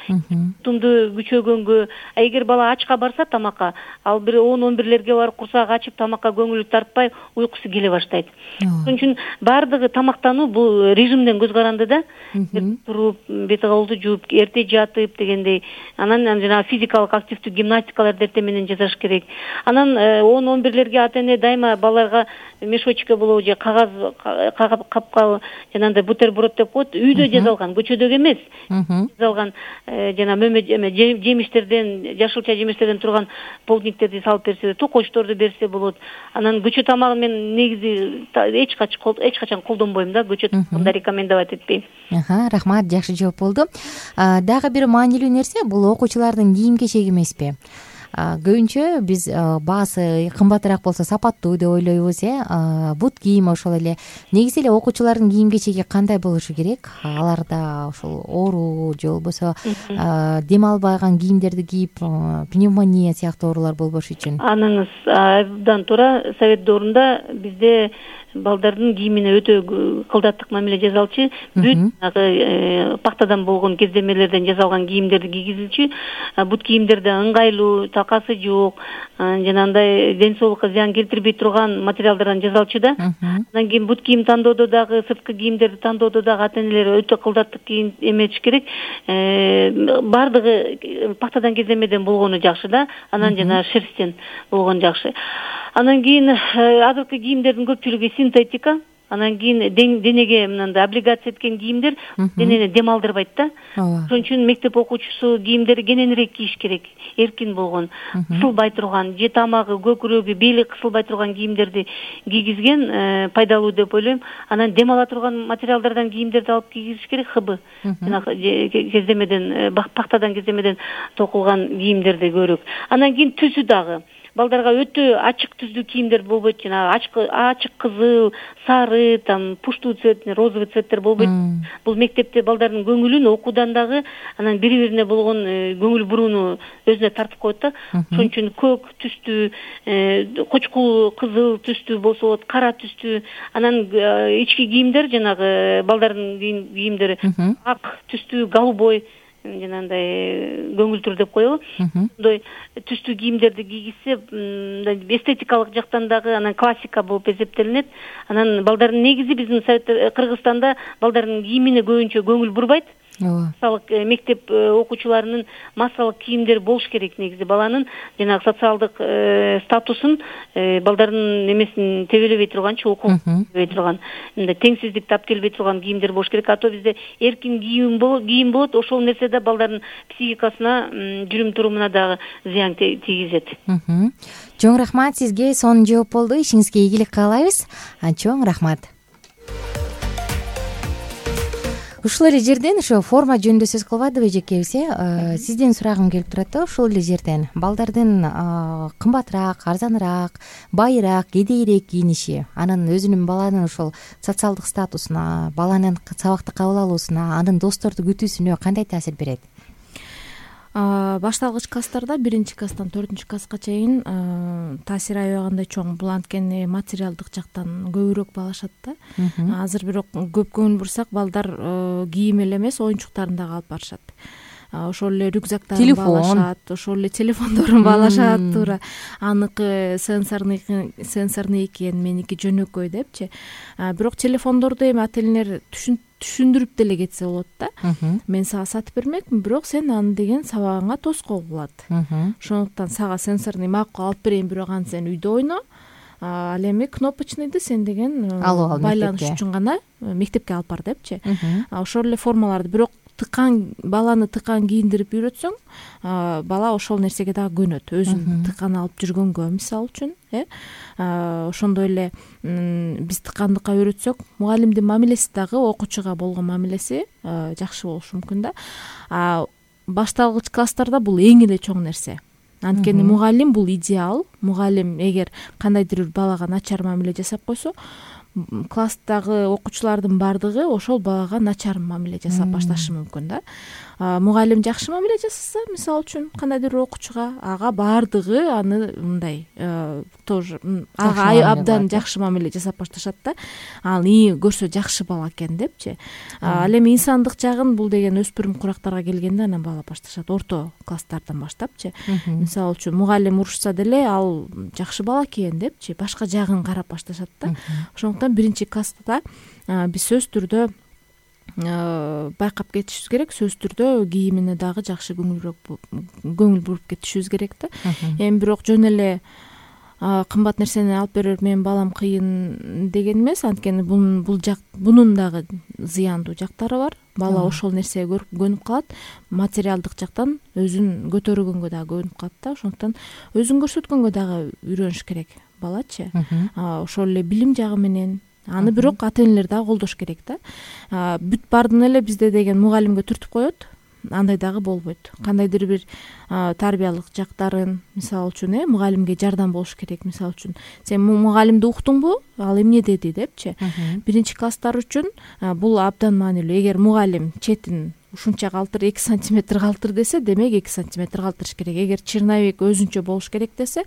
тумду күчөгөнгө. Эгер бала ачка барса тамакка, ал бир 10-11лерге барып курсагы ачып тамакка көңүлү тартпай, уйкусу келе баштайт. Ошон үчүн бардыгы тамактануу бул режимден көз каранды да. Туруп, бет колду жууп, эрте жатып дегендей. Анан жанагы физикалык активдүү гимнастикаларды эртең менен жасаш керек. Анан 10-11лерге ата-эне дайыма баларга мешочка болобу же кагаз капка жанагындай бутерброд деп коет, үйдө жасалган, көчөдөгү эмес. Жасалган жана жемиштерден, жашылча жемиштерден турган полдниктерди салып берсе, токочторду берсе болот. Анан көчө тамагын мен негизи эч качан колдонбойм да, көчө тамагында рекомендовать этпейм. Рахмат, жакшы жооп болду. Дагы бир маанилүү нерсе бул окуучулардын кийим кечеги эмеспи? Көбүнчө биз баасы кымбатыраак болсо сапаттуу деп ойлойбуз, бут кийим ошол эле. Негизи эле окуучулардын кийим кечеги кандай болушу керек? Аларда ошол оору же болбосо дем албаган кийимдерди кийип, пневмония сыяктуу оорулар болбош үчүн. Аныңыз абдан туура. Совет доорунда бизде балдардын кийимине өтө кылдаттык мамиле жасалчу. Бүт пахтадан болгон кездемелерден жасалган кийимдерди кийгизилчү. Бут кийимдерде ыңгайлуу, такасы жок, жанагындай ден соолукка зыян келтирбей турган материалдардан жасалчу да. Андан кийин бут кийим тандоодо дагы, сырткы кийимдерди тандоодо дагы ата-энелер өтө кылдаттык кийим эметиш керек. Бардыгы пахтадан кездемеден болгону жакшы да. Анан жана шерсттен болгону жакшы. Анан кийин азыркы кийимдердин көпчүлүгү синтетика. Анан кийин денеге мындай облигация эткен кийимдер денени дем алдырбайт да. Ошон үчүн мектеп окуучусу кийимдери кененирээк кийиш керек, эркин болгон, кысылбай турган, же тамагы, көкүрөгү, бели кысылбай турган кийимдерди кийгизген пайдалуу деп ойлойм. Анан дем ала турган материалдардан кийимдерди алып кийгизиш керек, хыбы. Кездемеден, пахтадан кездемеден токулган кийимдерди көбүрөөк. Анан кийин түсү дагы. Балдарга өтө ачык түздүү кийимдер болбойт, жана ачык кызыл, сары, пуштуу цвет, розовый цветтер болбойт. Бул мектепте балдардын көңүлүн окуудан дагы, анан бири-бирине болгон көңүл бурууну өзүнө тартып коет да. Ошон үчүн көк түстүү, кочкул кызыл түстүү болсо, кара түстүү, анан ички кийимдер жанагы балдардын кийимдери ак түстүү, голубой, жанагындай көңүлтүр деп коелу. Мындай түстүү кийимдерди кийгизсе, эстетикалык жактан дагы анан классика болуп эсептелинет. Анан балдардын негизи биздин Кыргызстанда балдардын кийимине көбүнчө көңүл бурбайт. Мисалы мектеп окуучуларынын массалык кийимдери болуш керек негизи. Баланын жанагы социалдык статусун, балдардын эмесин тебелебей турганчы, окуу тебелебей турган, мындай теңсиздик тап келбей турган кийимдер болуш керек. А то бизде эркин кийим болот, ошол нерсе да балдардын психикасына, жүрүм турумуна дагы зыян тийгизет. Чоң рахмат сизге, сонун жооп болду. Ишиңизге ийгилик каалайбыз. Чоң рахмат. Ушул эле жерден ошо форма жөнүндө сөз кылбадыбы эжекебиз, сизден сурагым келип турат да, ушул эле жерден балдардын кымбатыраак, арзаныраак, байыраак, кедейирээк кийиниши анын өзүнүн баланын ошол социалдык статусуна, баланын сабакты кабыл алуусуна, анын досторду күтүүсүнө кандай таасир берет? Башталгыч класстарда 1-класстан 4-класска чейин таасир аябагандай чоң. Бул анткени материалдык жактан көбүрөөк баалашат да. Азыр бирок көп көңүл бурсак, балдар кийим эле эмес, оюнчуктарын дагы алып барышат. Ошол эле рюкзактарын баалашат, ошол эле телефондорун баалашат, туура. Аныкы сенсорный экен, меники жөнөкөй депчи. Бирок телефондорду эми ата-энелер түшүндүрүп деле кетсе болот да. Мен сага сатып бермекмин, бирок сен аны деген сабагыңа тоскоол болот. Ошондуктан сага сенсорный макул алып берейин, бирок аны сен үйдө ойно. ал эми кнопочныйды сен деген байланыш үчүн гана мектепке алып бар депчи. Ошол эле формаларды бирок баланы тыкан кийиндирип үйрөтсөң, бала ошол нерсеге дагы көнөт, өзүн тыкан алып жүргөнгө мисалы үчүн. Ошондой эле биз тыкандыкка үйрөтсөк, мугалимдин мамилеси дагы окуучуга болгон мамилеси жакшы болушу мүмкүн да. Башталгыч класстарда бул эң эле чоң нерсе. Анткени мугалим бул идеал. Мугалим эгер кандайдыр бир балага начар мамиле жасап койсо, класстагы окуучулардын баардыгы ошол балага начар мамиле жасап башташы мүмкүн да. Мугалим жакшы мамиле жасаса, мисалы үчүн кандайдыр бир окуучуга, ага баардыгы аны мындай тоже ага абдан жакшы мамиле жасап башташат да. Ал көрсө жакшы бала экен депчи. Ал эми инсандык жагын бул деген өспүрүм курактарга келгенде анан бала башташат, орто класстардан баштапчы. Мисалы үчүн мугалим урушса деле ал жакшы бала экен депчи, башка жагын карап башташат да. Ошондуктан биринчи класста биз сөзсүз түрдө байкап кетишибиз керек, сөзсүз түрдө кийимине дагы жакшы көңүл буруп кетишибиз керек да. Эми бирок жөн эле кымбат нерсени алып берип менин балам кыйын деген эмес, анткени бунун дагы зыяндуу жактары бар. Бала ошол нерсеге көнүп калат, материалдык жактан өзүн көтөргөнгө дагы көнүп калат да. Ошондуктан өзүн көрсөткөнгө дагы үйрөнүш керек балачы. Ошол эле билим жагы менен аны бирок ата-энелер дагы колдош керек да. Бүт баардыгын эле бизде деген мугалимге түртүп коет, андай дагы болбойт. Кандайдыр бир тарбиялык жактарын, мисалы үчүн, мугалимге жардам болуш керек. Мисалы үчүн, сен мугалимди уктуңбу? Ал эмне деди депчи. Биринчи класстар үчүн бул абдан маанилүү. Эгер мугалим четин ушунча калтыр, 2 сантиметр калтыр десе, демек 2 сантиметр калтырыш керек. Эгер черновик өзүнчө болуш керек десе,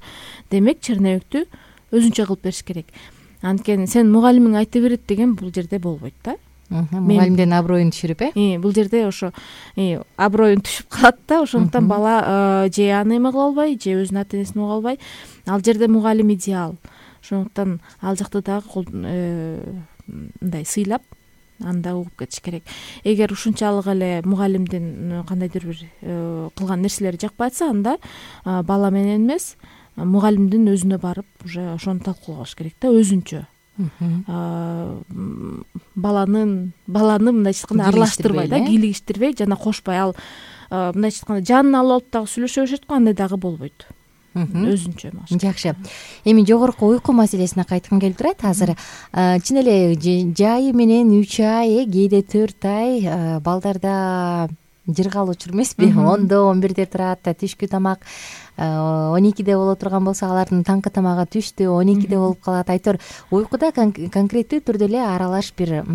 демек черновиктү өзүнчө кылып бериш керек. Анткени сен мугалимиң айта берет деген бул жерде болбойт да. Мугалимдин аброюн түшүрүп, бул жерде ошо аброюн түшүп калат да. Ошондуктан бала же аны эме кыла албай, же өзүнүн ата-энесин уга албай. Ал жерде мугалим идеал. Ошондуктан ал жакты дагы мындай сыйлап, анда угуп кетиш керек. Эгер ушунчалык эле мугалимдин кандайдыр бир кылган нерселери жакпай атса, анда бала менен эмес, мугалимдин өзүнө барып уже ошону талкуулаш керек да, өзүнчө. Баланы мындайча айтканда аралаштырбай да, кийлигиштирбей жана кошпой, ал мындайча айтканда жанына алып алып дагы сүйлөшө беришет го, андай дагы болбойт. Өзүнчө. Жакшы. Эми жогорку уйку маселесине кайткым келип турат. Азыр чын эле жайы менен 3 ай, кээде 4 ай балдарда жыргал учур эмеспи? 10-до 11де турат, түшкү тамак 12де боло турган болсо, алардын таңкы тамагы түштү 12де болуп калат. Айтор уйкуда конкреттүү түрдө эле аралаш бир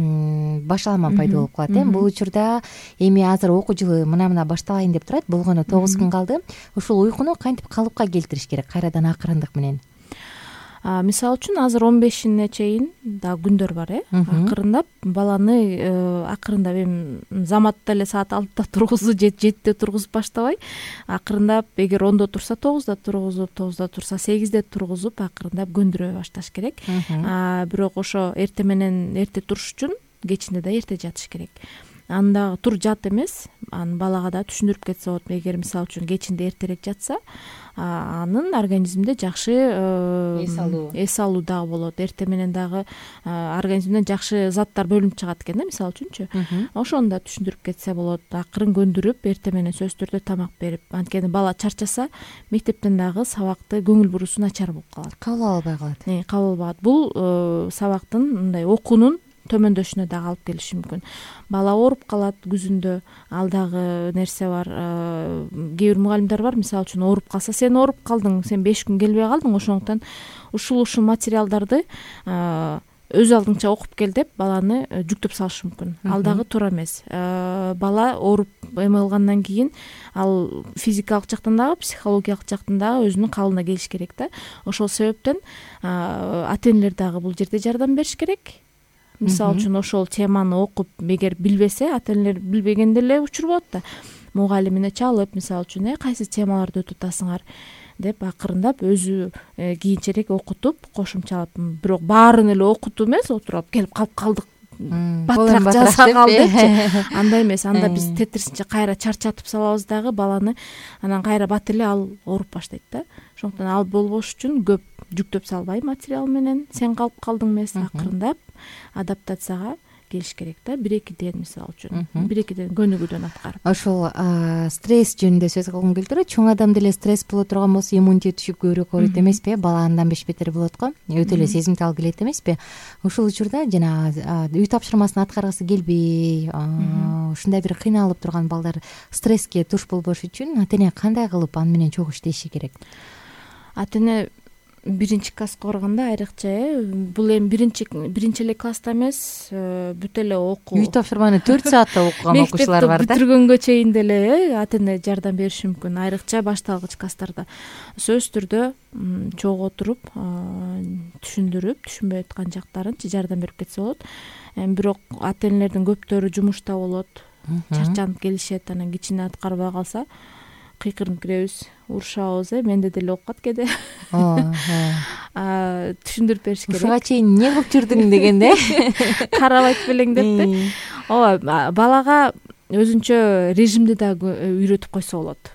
башалма пайда болуп калат. Бул учурда эми азыр окуу жылы мына башталайын деп турат. Болгону 9 күн калды. Ушул уйкуну кантип калыпка келтириш керек кайрадан акырындык менен? Мисалы үчүн азыр 15-ине чейин дагы күндөр бар, акырындап баланы акырындап эми заматта эле саат 6-да тургузуп, 7-де тургузуп баштабай, акырындап эгер 10-до турса 9-да тургузуп, 9-да турса 8-де тургузуп, акырындап көндүрө башташ керек. Бирок ошо эрте менен эрте туруш үчүн кечинде да эрте жатыш керек. Анда тур жат эмес, аны балага да түшүндүрүп кетсе болот. Эгер мисалы үчүн кечинде эртерээк жатса, анын организминде жакшы эс алуу дагы болот. Эрте менен дагы организмден жакшы заттар бөлүнүп чыгат экен да, мисалы үчүнчү. Ошону да түшүндүрүп кетсе болот. Акырын көндүрүп, эрте менен сөзсүз түрдө тамак берип. Анткени бала чарчаса, мектептен дагы сабакты көңүл бурусу начар болуп калат. Кабыл албай калат. Кабыл албайт. Бул сабактын мындай окуунун төмөндөшүнө дагы алып келиши мүмкүн. Бала ооруп калат күзүндө, ал дагы нерсе бар. Кээ бир мугалимдер бар, мисалы үчүн ооруп калса, сен ооруп калдың, сен 5 күн келбей калдың, ошондуктан ушул материалдарды өз алдыңча окуп кел деп баланы жүктөп салышы мүмкүн. Ал дагы туура эмес. Бала ооруп эме кылгандан кийин ал физикалык жактан дагы, психологиялык жактан дагы өзүнүн кабылына келиш керек да. Ошол себептен ата-энелер дагы бул жерде жардам бериш керек. Мисалы үчүн ошол теманы окуп, эгер билбесе, ата-энелер билбегенде эле учур болот да. Мугалимине чалып, мисалы үчүн, кайсы темаларды өтүп атасыңар деп акырындап өзү кийинчерээк окутуп, кошумчалап, бирок баарын эле окутуп эмес, отуруп келип калып калдык батыраак жазсак ал депчи, андай эмес. Анда биз тетирисинче кайра чарчатып салабыз дагы баланы, анан кайра бат эле ал ооруп баштайт да. Ошондуктан ал болбош үчүн көп жүктөп салбай материал менен сен калып калдың эмес, акырындап адаптацияга келиш керек да. 1-2 мисалы үчүн 1-2 көнүгүүдөн аткарып. Ошол стресс жөнүндө сөз кылгым келип турат. Чоң адам деле стресс боло турган болсо иммунитет түшүп көбүрөөк ооруйт эмеспи? Бала андан беш бетер болот го. Өтө эле сезимтал келет эмеспи? Ушул учурда жанагы үй тапшырмасын аткаргысы келбей, ушундай бир кыйналып турган балдар стресске туш болбош үчүн ата-эне кандай кылып аны менен чогуу иштеши керек? Ата-эне 1-класска барганда айрыкча бул эми биринчи эле класста эмес, бүт эле окуу. Үй тапшырманы 4 саатта окуган окуучулар бар да. Бүтүргөнгө чейин деле ата-эне жардам бериши мүмкүн. Айрыкча башталгыч класстарда сөзсүз түрдө чогуу отуруп, түшүндүрүп, түшүнбөй аткан жактарынчы жардам берип кетсе болот. Бирок ата-энелердин көптөрү жумушта болот, чарчанып келишет, анан кичине аткарбай калса кыйкырынып киребиз, урушабыз, менде деле окуп кет кээде. Түшүндүрүп бериш керек. Ушуга чейин эмне кылып жүрдүң дегенде карабайт белең депти. Ооба, балага өзүнчө режимди да үйрөтүп койсо болот.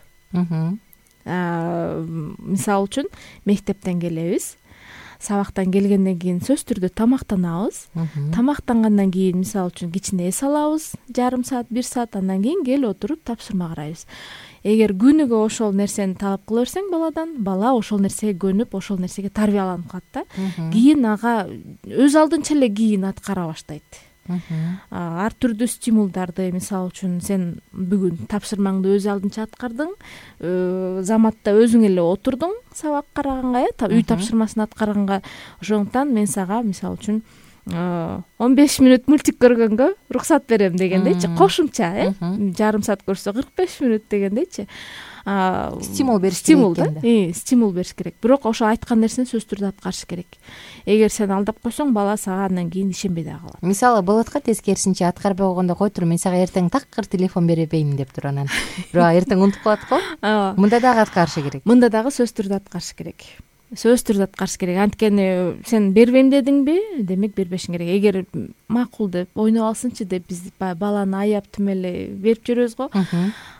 Мисалы үчүн мектептен келебиз, сабактан келгенден кийин сөзсүз түрдө тамактанабыз. Тамактангандан кийин мисалы үчүн кичине эс алабыз, жарым саат, 1 саат, андан кийин келип отуруп тапшырма карайбыз. Эгер күнүгө ошол нерсени талап кыла берсең баладан, бала ошол нерсеге көнүп, ошол нерсеге тарбияланып калат да. Кийин ага өз алдынча эле кийин аткара баштайт. Ар түрдүү стимулдарды, мисалы үчүн сен бүгүн тапшырмаңды өз алдынча аткардың, заматта өзүң эле отурдуң сабак караганга, үй тапшырмасын аткарганга. Ошондуктан мен сага мисалы үчүн 15 мүнөт мультик көргөнгө уруксат берем дегендейчи, кошумча, жарым саат көрсө 45 мүнөт дегендейчи. Стимул бериш керек. Стимул бериш керек. Бирок ошо айткан нерсени сөзсүз түрдө аткарыш керек. Эгер сен алдап койсоң, бала сага андан кийин ишенбей да калат. Мисалы болот го, тескерисинче аткарбай койгондо кой тур, мен сага эртең такыр телефон бербейм деп тур, анан бирок эртең унутуп калат го. Мында дагы аткарыш керек. Мында дагы сөзсүз түрдө аткарыш керек. Сөзсүз түрдө аткарыш керек. Анткени сен бербейм дедиңби, демек бербешиң керек. Эгер макул деп, ойноп алсынчы деп биз баланы аяп түмөлө берип жүрөбүз го,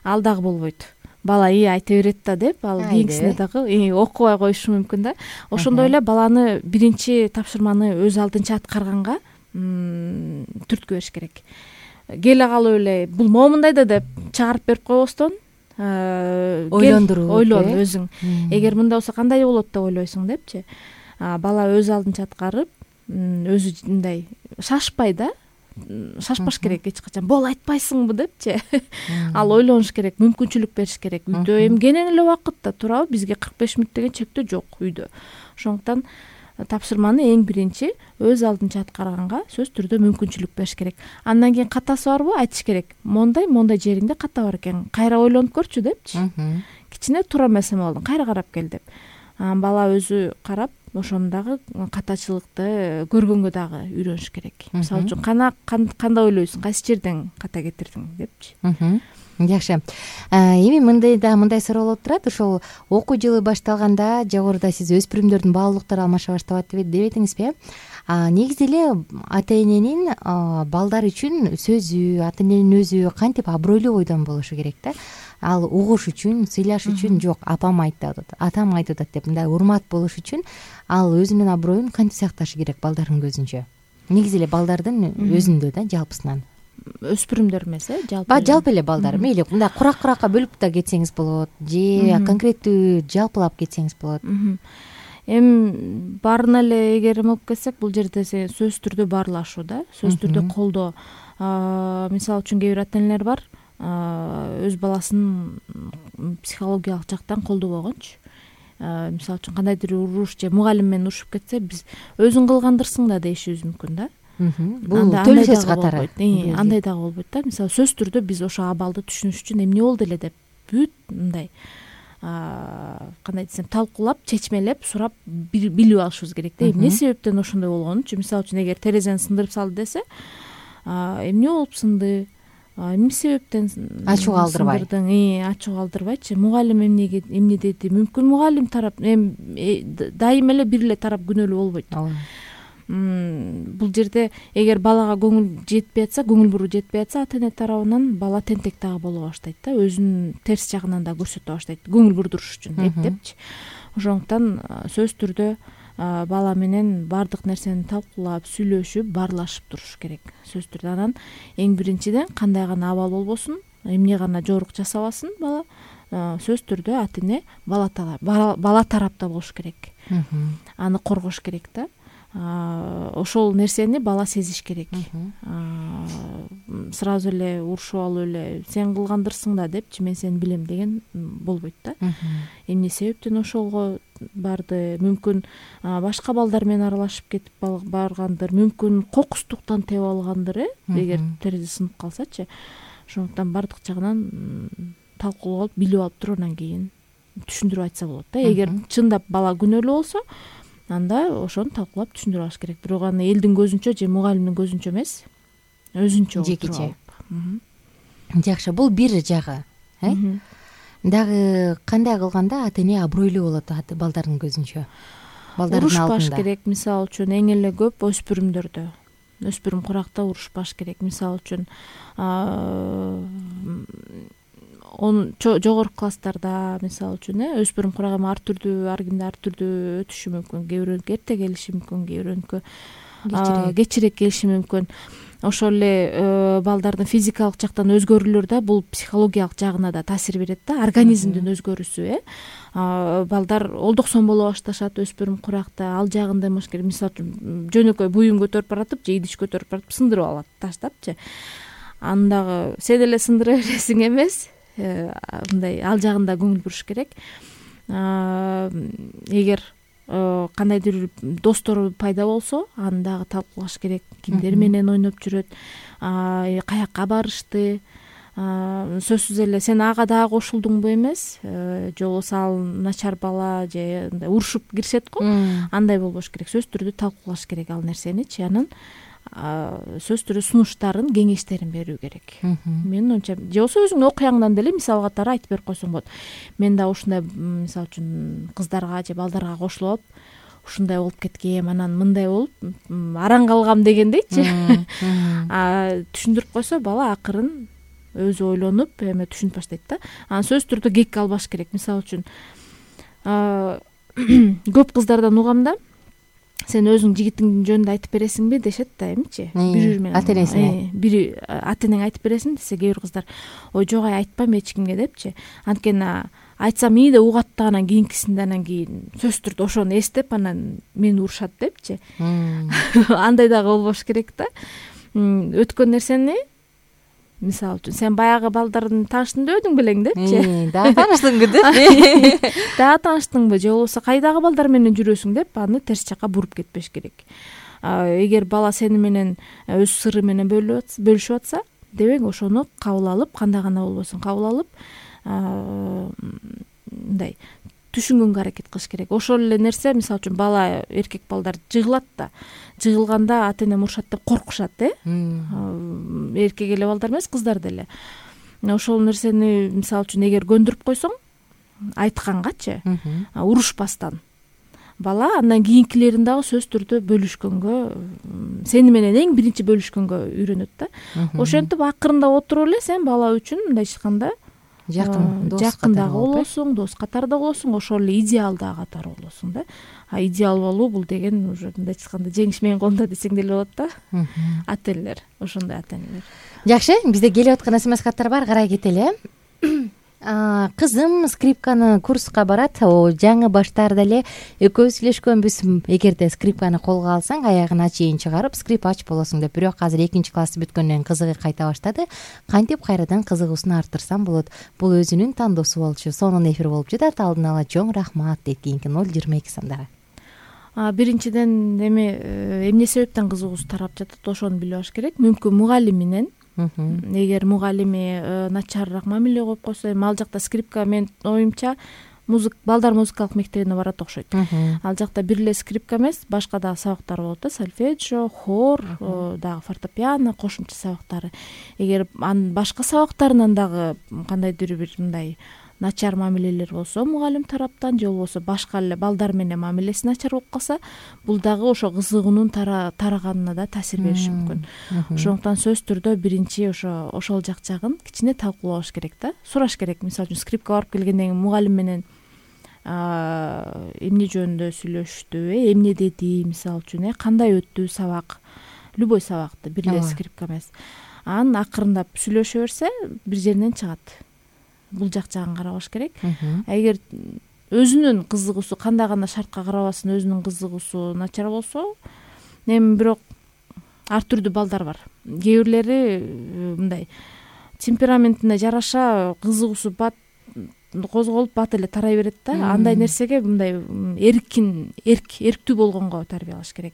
ал дагы болбойт. Бала айта берет да деп, ал кийинкисине дагы окубай коюшу мүмкүн да. Ошондой эле баланы биринчи тапшырманы өз алдынча аткарганга түрткү бериш керек. Келе калып эле бул момундай да деп чыгарып берип койбостон, ойлондуруп, ойлон өзүң. Эгер мындай болсо кандай болот деп ойлойсуң депчи. Бала өз алдынча аткарып, өзү мындай шашпай да, шашпаш керек эч качан. Бол айтпайсыңбы депчи. Ал ойлонуш керек, мүмкүнчүлүк бериш керек. Үйдө эмгенен эле убакытта турабы, бизге 45 мүнөт деген чектөө жок үйдө. Ошондуктан тапшырманы эң биринчи өз алдынча аткарганга сөз түрдө мүмкүнчүлүк бериш керек. Андан кийин катасы барбы, айтыш керек. Мондай жериңде ката бар экен, кайра ойлонуп көрчү депчи. Кичине туура эмес эме болдуң, кайра карап кел деп. Бала өзү карап, ошону дагы катачылыкты көргөнгө дагы үйрөнүш керек. Мисалы үчүн кандай ойлойсуң, кайсы жерден ката кетирдиң депчи. Жакшы. Эми мындай суроо болуп турат. Ошол окуу жылы башталганда жогоруда сиз өспүрүмдөрдүн баалуулуктары алмаша баштап дебедиңизби? Негизи эле ата-эненин балдар үчүн сөзү, ата-эненин өзү кантип абройлуу бойдон болушу керек да? Ал угуш үчүн, сыйлаш үчүн жок, апам айтты атат, атам айтып атат деп мындай урмат болуш үчүн ал өзүнүн аброюн кантип сакташы керек балдардын көзүнчө? Негизи эле балдардын өзүндө да, жалпысынан. Өспүрүмдөр эмес, жалпы эле балдар. Мейли мындай курак-куракка бөлүп да кетсеңиз болот, же конкреттүү жалпылап кетсеңиз болот. Эми баарына эле эгер эме болуп кетсек, бул жерде сөзсүз түрдө баарлашуу да, сөзсүз түрдө колдоо. Мисалы үчүн кээ бир ата-энелер бар, өз баласын психологиялык жактан колдобогончу. Мисалы үчүн кандайдыр уруш же мугалим менен урушуп кетсе, биз өзүң кылгандырсың да дейишибиз мүмкүн да. Бул төлөй сөз катары. Андай дагы болбойт да. Мисалы сөзсүз түрдө биз ошо абалды түшүнүш үчүн эмне болду эле деп бүт мындай кандай десем, талкуулап, чечмелеп, сурап билип алышыбыз керек да. Эмне себептен ошондой болгонучу? Мисалы үчүн эгер терезени сындырып салды десе, эмне болуп сынды? Эмне себептен ачуу калтырбай. Ачуу калтырбайчы. Мугалим эмне деди? Мүмкүн мугалим тарап дайым эле бир эле тарап күнөөлүү болбойт. бул жерде эгер балага көңүл жетпей атса, көңүл буруу жетпей атса, ата эне тарабынан бала тентек дагы боло баштайт да, өзүнүн терс жагынан да көрсөтө баштайт, көңүл бурдуруш үчүн эптепчи. Ошондуктан сөзсүз түрдө бала менен баардык нерсени талкуулап, сүйлөшүп, баарлашып туруш керек сөзсүз түрдө. Анан эң биринчиден кандай гана абал болбосун, эмне гана жорук жасабасын бала, сөзсүз түрдө ата эне бала тарапта болуш керек, аны коргош керек да. Ошол нерсени бала сезиш керек. Сразу эле урушуп алып эле сен кылгандырсың да депчи, мен сени билем деген болбойт да. Эмне себептен ошого барды, мүмкүн башка балдар менен аралашып кетип баргандыр, мүмкүн кокустуктан тебип алгандыр, эгер терезе сынып калсачы. Ошондуктан баардык жагынан талкуулап, билип алып туруп анан кийин түшүндүрүп айтса болот да. Эгер чындап бала күнөөлүү болсо, анда ошону талкуулап түшүндүрүп алыш керек. Бирок аны элдин көзүнчө же мугалимдин көзүнчө эмес, өзүнчө жекече. Жакшы, бул бир жагы. Дагы кандай кылганда ата эне абройлуу болот балдардын көзүнчө, балдардын алдында? Урушпаш керек, мисалы үчүн эң эле көп өспүрүмдөрдө, өспүрүм куракта урушпаш керек. Мисалы үчүн жогорку класстарда, мисалы үчүн өспүрүм курак эми ар түрдүү, ар кимде ар түрдүү өтүшү мүмкүн. Кээ бирөөнүкү эрте келиши мүмкүн, кээ бирөөнүкү кечирээк келиши мүмкүн. Ошол эле балдардын физикалык жактан өзгөрүүлөр да бул психологиялык жагына да таасир берет да, организмдин өзгөрүүсү. Балдар олдоксон боло башташат өспүрүм куракта, ал жагында эмеш керек. Мисалы үчүн жөнөкөй буюн көтөрүп баратып же идиш көтөрүп баратып сындырып алат, таштапчы. Андагы сен эле сындыра бересиң эмес, мындай ал жагында көңүл буруш керек. Эгер кандайдыр достору пайда болсо, аны дагы талкуулаш керек. Кимдер менен ойноп жүрөт, каякка барышты, сөзсүз эле сен ага дагы кошулдуңбу эмес, же болбосо ал начар бала же урушуп киришет го, андай болбош керек. Сөзсүз түрдө талкуулаш керек ал нерсеничи. Анан сөзсүз түрдө сунуштарын, кеңештерин берүү керек. Менин оюмча, же болбосо өзүңдүн окуяңдан деле мисал катары айтып берип койсоң болот. Мен да ушундай, мисалы үчүн кыздарга же балдарга кошулуп ушундай болуп кеткем, анан мындай болуп араң калгам дегендейчи. Түшүндүрүп койсо бала акырын өзү ойлонуп эме түшүнүп баштайт да. Анан сөзсүз түрдө кек албаш керек. Мисалы үчүн көп кыздардан угам да, сен өзүң жигитиңдин жөнүндө айтып бересиңби дешет да, эмичи? Бири менен ата энесине. Бири ата энең айтып бересиң десе, кээ бир кыздар ой жок, айтпайм эч кимге депчи. Анткени айтсам ии деп угат да, анан кийинкисинде анан кийин сөзсүз түрдө ошону эстеп анан мени урушат депчи. Андай дагы болбош керек да. Өткөн нерсени, мисалы үчүн сен баягы балдардын тааныштың өдүң белең депчи. Дагы тааныштыңбы деп. Дагы тааныштыңбы же болбосо кайдагы балдар менен жүрөсүң деп аны терс жакка буруп кетпеш керек. Эгер бала сени менен өз сыры менен бөлүшүп атса, дебең ошону кабыл алып, кандай гана болбосун кабыл алып, мындай түшүнгөнгө аракет кылыш керек. Ошол эле нерсе, мисалы үчүн бала, эркек балдар жыгылат да. Жыгылганда ата эне урушат деп коркушат, эркек эле балдар эмес, кыздар деле. Ошол нерсени мисалы үчүн эгер көндүрүп койсоң, айткангачы, урушпастан, бала андан кийинкилерин дагы сөзсүз түрдө бөлүшкөнгө, сени менен эң биринчи бөлүшкөнгө үйрөнөт да. Ошентип акырындап отуруп эле сен бала үчүн мындай айтканда жакын дагы болосуң, дос катары да болосуң, ошол эле идеал дагы катары болосуң да. Идеал болуу бул деген уже мындай айтканда жеңиш менин колунда десең деле болот да. Ата энелер, ошондой ата энелер. Жакшы, бизде келип аткан смс каттар бар, карай кетели. Кызым скрипканы курска барат. Жаңы баштаарда эле экөөбүз сүйлөшкөнбүз. Эгерде скрипканы колго алсаң, аягына чейин чыгарып, скрипач болосуң деп. Бирок азыр 2-классты бүткөндөн кызыгы кайта баштады. Кантип кайрадан кызыгуусун арттырсам болот? Бул өзүнүн тандоосу болчу. Сонун эфир болуп жатат. Алдын ала чоң рахмат дейт кийинки 022 сандагы. Биринчиден эмне себептен кызыгуусу тарап жатат, ошону билип алыш керек. Мүмкүн мугалиминен. Эгер мугалими начарыраак мамиле коюп койсо, эми ал жакта скрипка, менин оюмча, балдар музыкалык мектебине барат окшойт. Ал жакта бир эле скрипка эмес, башка дагы сабактар болот да, сольфеджио, хор, дагы фортепиано, кошумча сабактары. Эгер анын башка сабактарынан дагы кандайдыр бир мындай начар мамилелер болсо мугалим тараптан же болбосо башка эле балдар менен мамилеси начар болуп калса, бул дагы ошо кызыгуунун тараганына да таасир бериши мүмкүн. Ошондуктан сөзсүз түрдө биринчи ошол жагын кичине талкуулаш керек да, сураш керек. Мисалы үчүн скрипка барып келгенден кийин мугалим менен эмне жөнүндө сүйлөштү, эмне деди, мисалы үчүн кандай өттү сабак, любой сабакты, бир эле скрипка эмес. Анан акырындап сүйлөшө берсе бир жеринен чыгат. Бул жагын карабаш керек. Эгер өзүнүн кызыгуусу кандай гана шартка карабасын, өзүнүн кызыгуусу начар болсо, эми бирок ар түрдүү балдар бар. Кээ бирлери мындай темпераментине жараша кызыгуусу бат козголуп бат эле тарай берет да. Андай нерсеге мындай эрктүү болгонго тарбиялаш керек.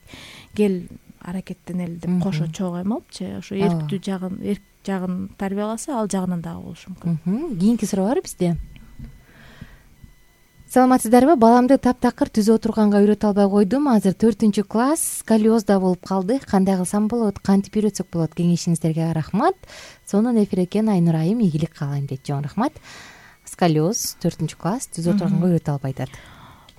Кел аракеттенели деп кошо чогоймалчы, ошо эрктүү жагын тарбияласа, ал жагынан дагы болушу мүмкүн. Кийинки суроо бар бизде. Саламатсыздарбы? Баламды таптакыр түзө отурганга үйрөтө албай койдум. Азыр 4-класс, сколиозда болуп калды. Кандай кылсам болот? Кантип үйрөтсөк болот? Кеңешиңиздерге рахмат. Сонун эфир экен, Айнур айым, ийгилик каалайм дейт. Жон рахмат. Сколиоз 4-класс түзө отурганга үйрөтө албай атат.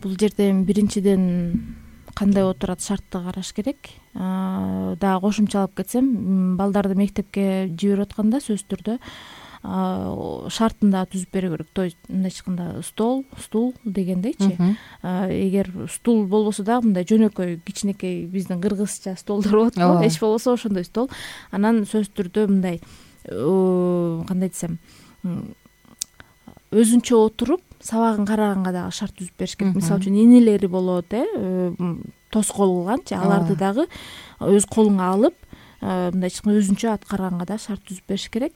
Бул жерде шартиден кандай отурат шартты караш керек. Дагы кошумчалап кетсем, балдарды мектепке жиберип атканда сөзсүз түрдө шартын да түзүп берүү керек. То есть мындай айтканда стул дегендейчи. Эгер стул болбосо дагы мындай жөнөкөй кичинекей биздин кыргызча столдор болот го, эч болбосо ошондой стол. Анан сөзсүз түрдө мындай кандай десем, өзүнчө отуруп сабагын караганга дагы шарт түзүп бериш керек. Мисалы үчүн инелери болот, тоскоол кылганчы, аларды дагы өз колуңа алып, мындай өзүнчө аткарганга да шарт түзүп бериш керек.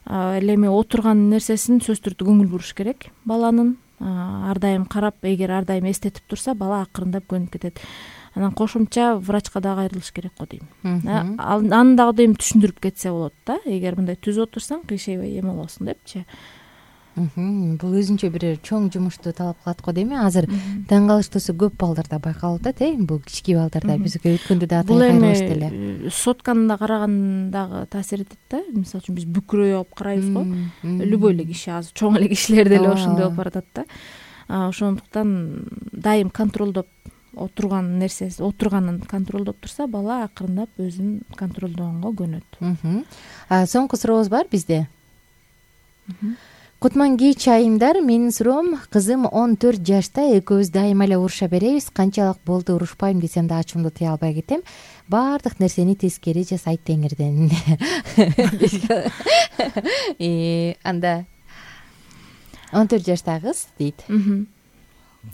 Эле эми отурган нерсесин сөзсүз түрдө көңүл буруш керек баланын. Ар дайым карап, эгер ар дайым эстетип турса, бала акырындап көнүп кетет. Анан кошумча врачка дагы кайрылыш керек го дейм. Аны дагы дейм түшүндүрүп кетсе болот да. Эгер мындай түзүп отурсаң, кыйшайбай эме болосуң депчи. Бул өзүнчө бир чоң жумушту талап кылат го дейм. Азыр таң калыштуусу көп балдарда байкалып атат, бул кички балдарда. Бизге өткөндө дагы кайрылышты эле. Бул эми сотканы да караган дагы таасир этет да. Мисалы үчүн биз бүкүрөй алып карайбыз го. Любой эле киши, азыр чоң эле кишилер деле ошондой болуп баратат да. Ошондуктан дайым контролдоп отурган нерсеси, отурганын контролдоп турса, бала акырындап өзүн контролдогонго көнөт. Соңку сурообуз бар бизде. Кутман кеч айымдар, менин суроом, кызым 14 жашта, экөөбүз дайыма эле уруша беребиз. Канчалык болду урушпайм десем да ачуумду тыя албай кетем. Баардык нерсени тескери жасайт теңирден. Анда 14 жаштагы кыз дейт.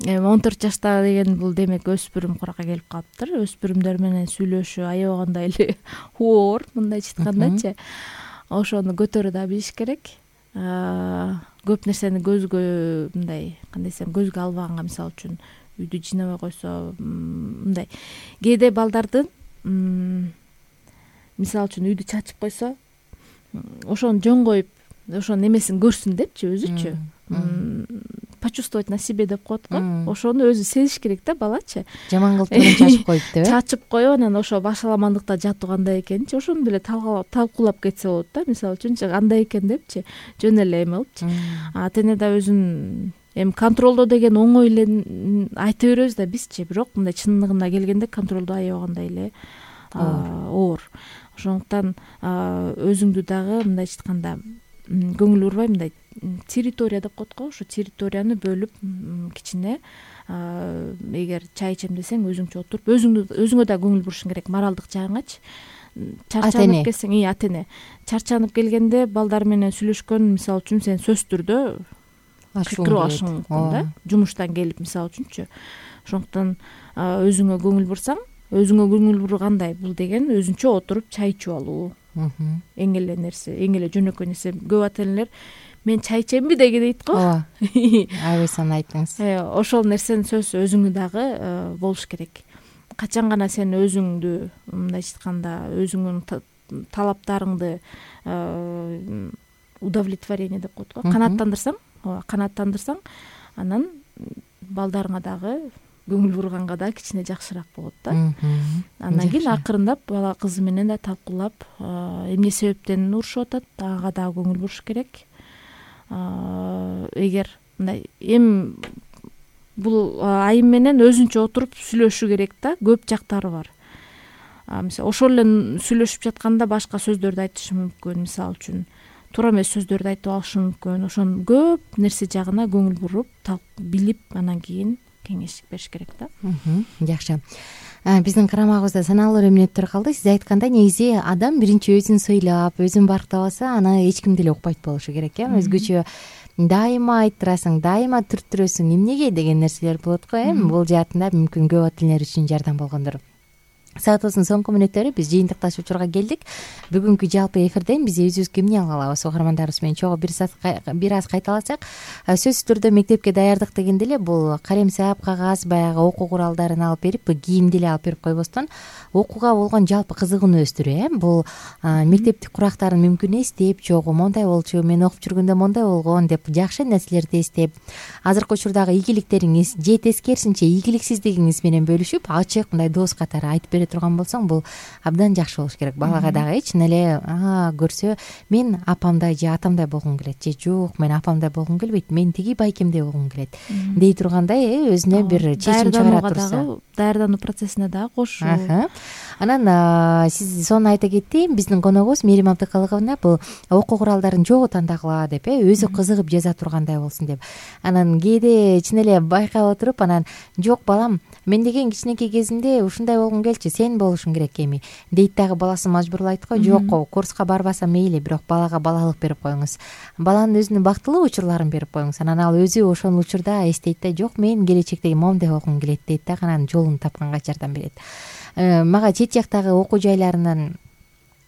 14 жашта деген бул демек өспүрүм куракка келип калыптыр. Өспүрүмдөр менен сүйлөшүү аябагандай эле оор, мындайча айткандачы. Ошону көтөрө да билиш керек. Көп нерсени көзгө мындай, кандай десем, көзгө албаганга, мисалы үчүн үйдү жыйнабай койсо, мындай кээде балдардын мисалы үчүн үйдү чачып койсо, ошону жөн коюп, ошонун эмесин көрсүн депчи, өзүчү почувствовать на себе деп коет го. Ошону өзү сезиш керек да балачы. Жаман кылып чачып коюпту, чачып коюп, анан ошо башаламандыкта жатуу кандай экенчи, ошону деле талкуулап кетсе болот да. Мисалы үчүн андай экен депчи, жөн эле эме кылыпчы. Ата-эне да өзүн эми контролдоо деген оңой эле айта беребиз да бизчи, бирок мындай чындыгына келгенде контролдоо аябагандай эле оор. Ошондуктан өзүңдү дагы мындайча айтканда көңүл бурбай, мындай территория деп коет го, ошо территорияны бөлүп кичине, эгер чай ичем десең өзүңчө отуруп, өзүңө да көңүл бурушуң керек, моралдык жагыңачы. Чарчанып келсең, ата-эне чарчанып келгенде балдар менен сүйлөшкөн, мисалы үчүн сен сөзсүз түрдө кыркырып алышың мүмкүн да, жумуштан келип, мисалы үчүнчү. Ошондуктан өзүңө көңүл бурсаң, өзүңө көңүл бургандай бул деген өзүнчө отуруп чай ичип алуу. Эң эле нерсе, эң эле жөнөкөй нерсе. Көп ата-энелер мен чай ичемби деген дейт го. Айбайсан айттыңыз. Ошол нерсенин сөзсүз өзүңө дагы болуш керек. Качан гана сен өзүңдү, мындайча айтканда, өзүңдүн талаптарыңды удовлетворение деп коет го, канааттандырсаң, анан балдарыңа дагы көңүл бурганга да кичине жакшыраак болот да. Андан кийин акырындап бала кызы менен да талкуулап, эмне себептен урушуп атат, ага дагы көңүл буруш керек. Эгер мындай эми бул айым менен өзүнчө отуруп сүйлөшүшү керек да, көп жактары бар. Мисалы ошол эле сүйлөшүп жатканда башка сөздөрдү айтышы мүмкүн, мисалы үчүн туура эмес сөздөрдү айтып алышы мүмкүн. Ошону көп нерсе жагына көңүл буруп, билип, анан кийин кеңеш бериш керек да. Жакшы. Биздин карамагыбызда саналуу эле мүнөттөр калды. Сиз айткандай, негизи адам биринчи өзүн сыйлап, өзүн барктабаса, аны эч ким деле укпайт болушу керек, өзгөчө дайыма айттырасың, дайыма түрттүрөсүң, эмнеге деген нерселер болот го. Бул жаатында мүмкүн көп ата энелер үчүн жардам болгондор. Саатыбыздын соңку мүнөттөрү биз жыйынтыкташ учурга келдик. Бүгүнкү жалпы эфирден биз өзүбүзгө эмне ала алабыз? Угармандарыбыз менен чогуу бир аз кайталасак, сөзсүз түрдө мектепке даярдык дегенде эле бул калемсап, кагаз, баягы окуу куралдарын алып берип, кийимди эле алып берип койбостон, окууга болгон жалпы кызыгууну өстүрүү. Бул мектептик курактарын мүмкүн эстеп, чогуу мондай болчу, мен окуп жүргөндө мондай болгон деп жакшы нерселерди эстеп, азыркы учурдагы ийгиликтериңиз же тескерисинче ийгиликсиздигиңиз менен бөлүшүп, ачык мындай дос катары айтып бере турган болсоң, бул абдан жакшы болуш керек. Балага дагы чын эле көрсө, мен апамдай же атамдай болгум келет, же жок, мен апамдай болгум келбейт, мен тиги байкемдей болгум келет дей тургандай өзүнө бир чечим чыгара турса, даярдануу процессине дагы кошуу. Анан сиз сону айта кетти, биздин коногубуз Мерим Абдыкалыковна бул окуу куралдарын жогу тандагыла деп, өзү кызыгып жаза тургандай болсун деп. Анан кээде чын эле байкап отуруп, анан жок балам, мен деген кичинекей кезимде ушундай болгум келчү, сен болушуң керек эми дейт дагы баласын мажбурлайт го. Жок, курска барбаса мейли, бирок балага балалык берип коюңуз. Баланын өзүнүн бактылуу учурларын берип коюңуз. Анан ал өзү ошол учурда эстейт да, жок, мен келечекте моундай болгум келет дейт да, анан жолун тапканга жардам берет. Мага чет жактагы окуу жайларынан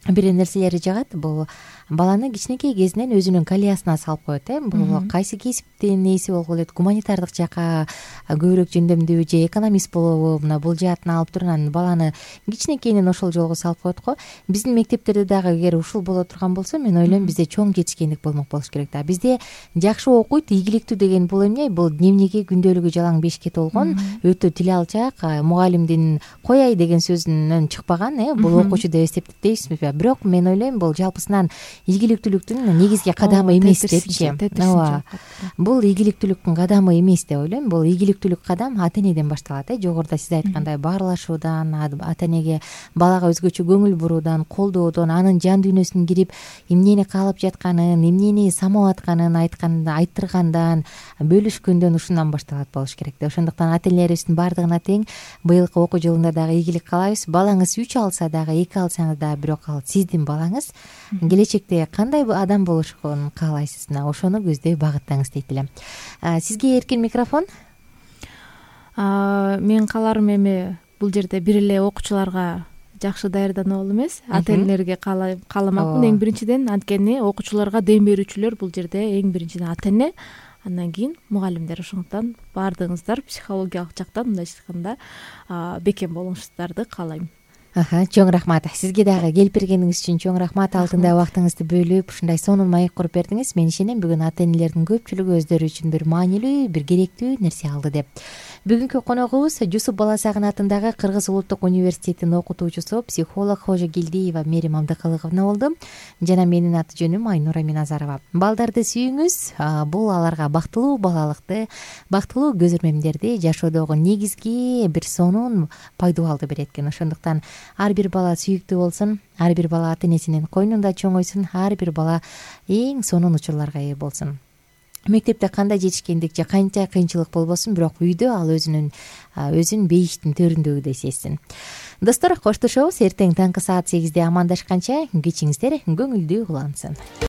бир нерселери жагат. Бул баланы кичинекей кезинен өзүнүн колеясына салып коет. Бул кайсы кесиптин ээси болгулу элек, гуманитардык жакка көбүрөөк жөндөмдүүбү же экономист болобу, мына бул жаатын алып туруп анан баланы кичинекейинен ошол жолго салып коет го. Биздин мектептерде дагы эгер ушул боло турган болсо, мен ойлойм бизде чоң жетишкендик болмок болуш керек да. Бизде жакшы окуйт, ийгиликтүү деген бул эмне? Бул дневниги, күндөлүгү жалаң бешке толгон, өтө тил алчак, мугалимдин кояй деген сөзүнөн чыкпаган, бул окуучу деп эсептейбизби? Бирок мен ойлойм бул жалпысынан ийгиликтүүлүктүн негизги кадамы эмес депчи. Ооба. Бул ийгиликтүүлүктүн кадамы эмес деп ойлойм. Бул ийгиликтүүлүк кадам ата энеден башталат. Жогоруда сиз айткандай баарлашуудан, ата энеге, балага өзгөчө көңүл буруудан, колдоодон, анын жан дүйнөсүнө кирип, эмнени каалап жатканын, эмнени самап атканын айттыргандан, бөлүшкөндөн, ушундан башталат болуш керек да. Ошондуктан ата энелерибиздин баардыгына тең быйылкы окуу жылында дагы ийгилик каалайбыз. Балаңыз 3 алса дагы, 2 алсаңыз дагы, бирок ал сиздин балаңыз. Келечекте кандай адам болушун каалайсыз, ошону көздөй багыттаңыз дейт элем. Сизге эркин микрофон. Мен кааларым эми бул жерде бир эле окуучуларга жакшы даярдануу эмес, ата энелерге кааламакмын эң биринчиден. Анткени окуучуларга дем берүүчүлөр бул жерде эң биринчиден ата эне, андан кийин мугалимдер. Ошондуктан баардыгыңыздар психологиялык жактан мындайча айтканда бекем болуңуздарды каалайм. Чоң рахмат. Сизге дагы келип бергениңиз үчүн чоң рахмат. Алтындай убактыңызды бөлүп, ушундай сонун маек куруп бердиңиз. Мен ишенем, бүгүн ата энелердин көпчүлүгү өздөрү үчүн бир маанилүү, бир керектүү нерсе алды деп. Бүгүнкү коногубуз Жусуп Баласагын атындагы Кыргыз улуттук университетинин окутуучусу, психолог Кожогелдиева Мерим Абдыкалыковна болду. Жана менин аты жөнүм Айнура Миназарова. Балдарды сүйүңүз. Бул аларга бактылуу балалыкты, бактылуу көз ирмемдерди жашоодогу негизги бир сонун пайдубалды берет экен. Ошондуктан ар бир бала сүйүктүү болсун, ар бир бала ата энесинин койнунда чоңойсун, ар бир бала эң сонун учурларга ээ болсун. Мектепте кандай жетишкендик же канча кыйынчылык болбосун, бирок үйдө ал өзүн бейиштин төрүндөгүдөй сезсин. Достор, коштошобуз. Эртең таңкы саат 8де амандашканча кечиңиздер көңүлдүү улансын.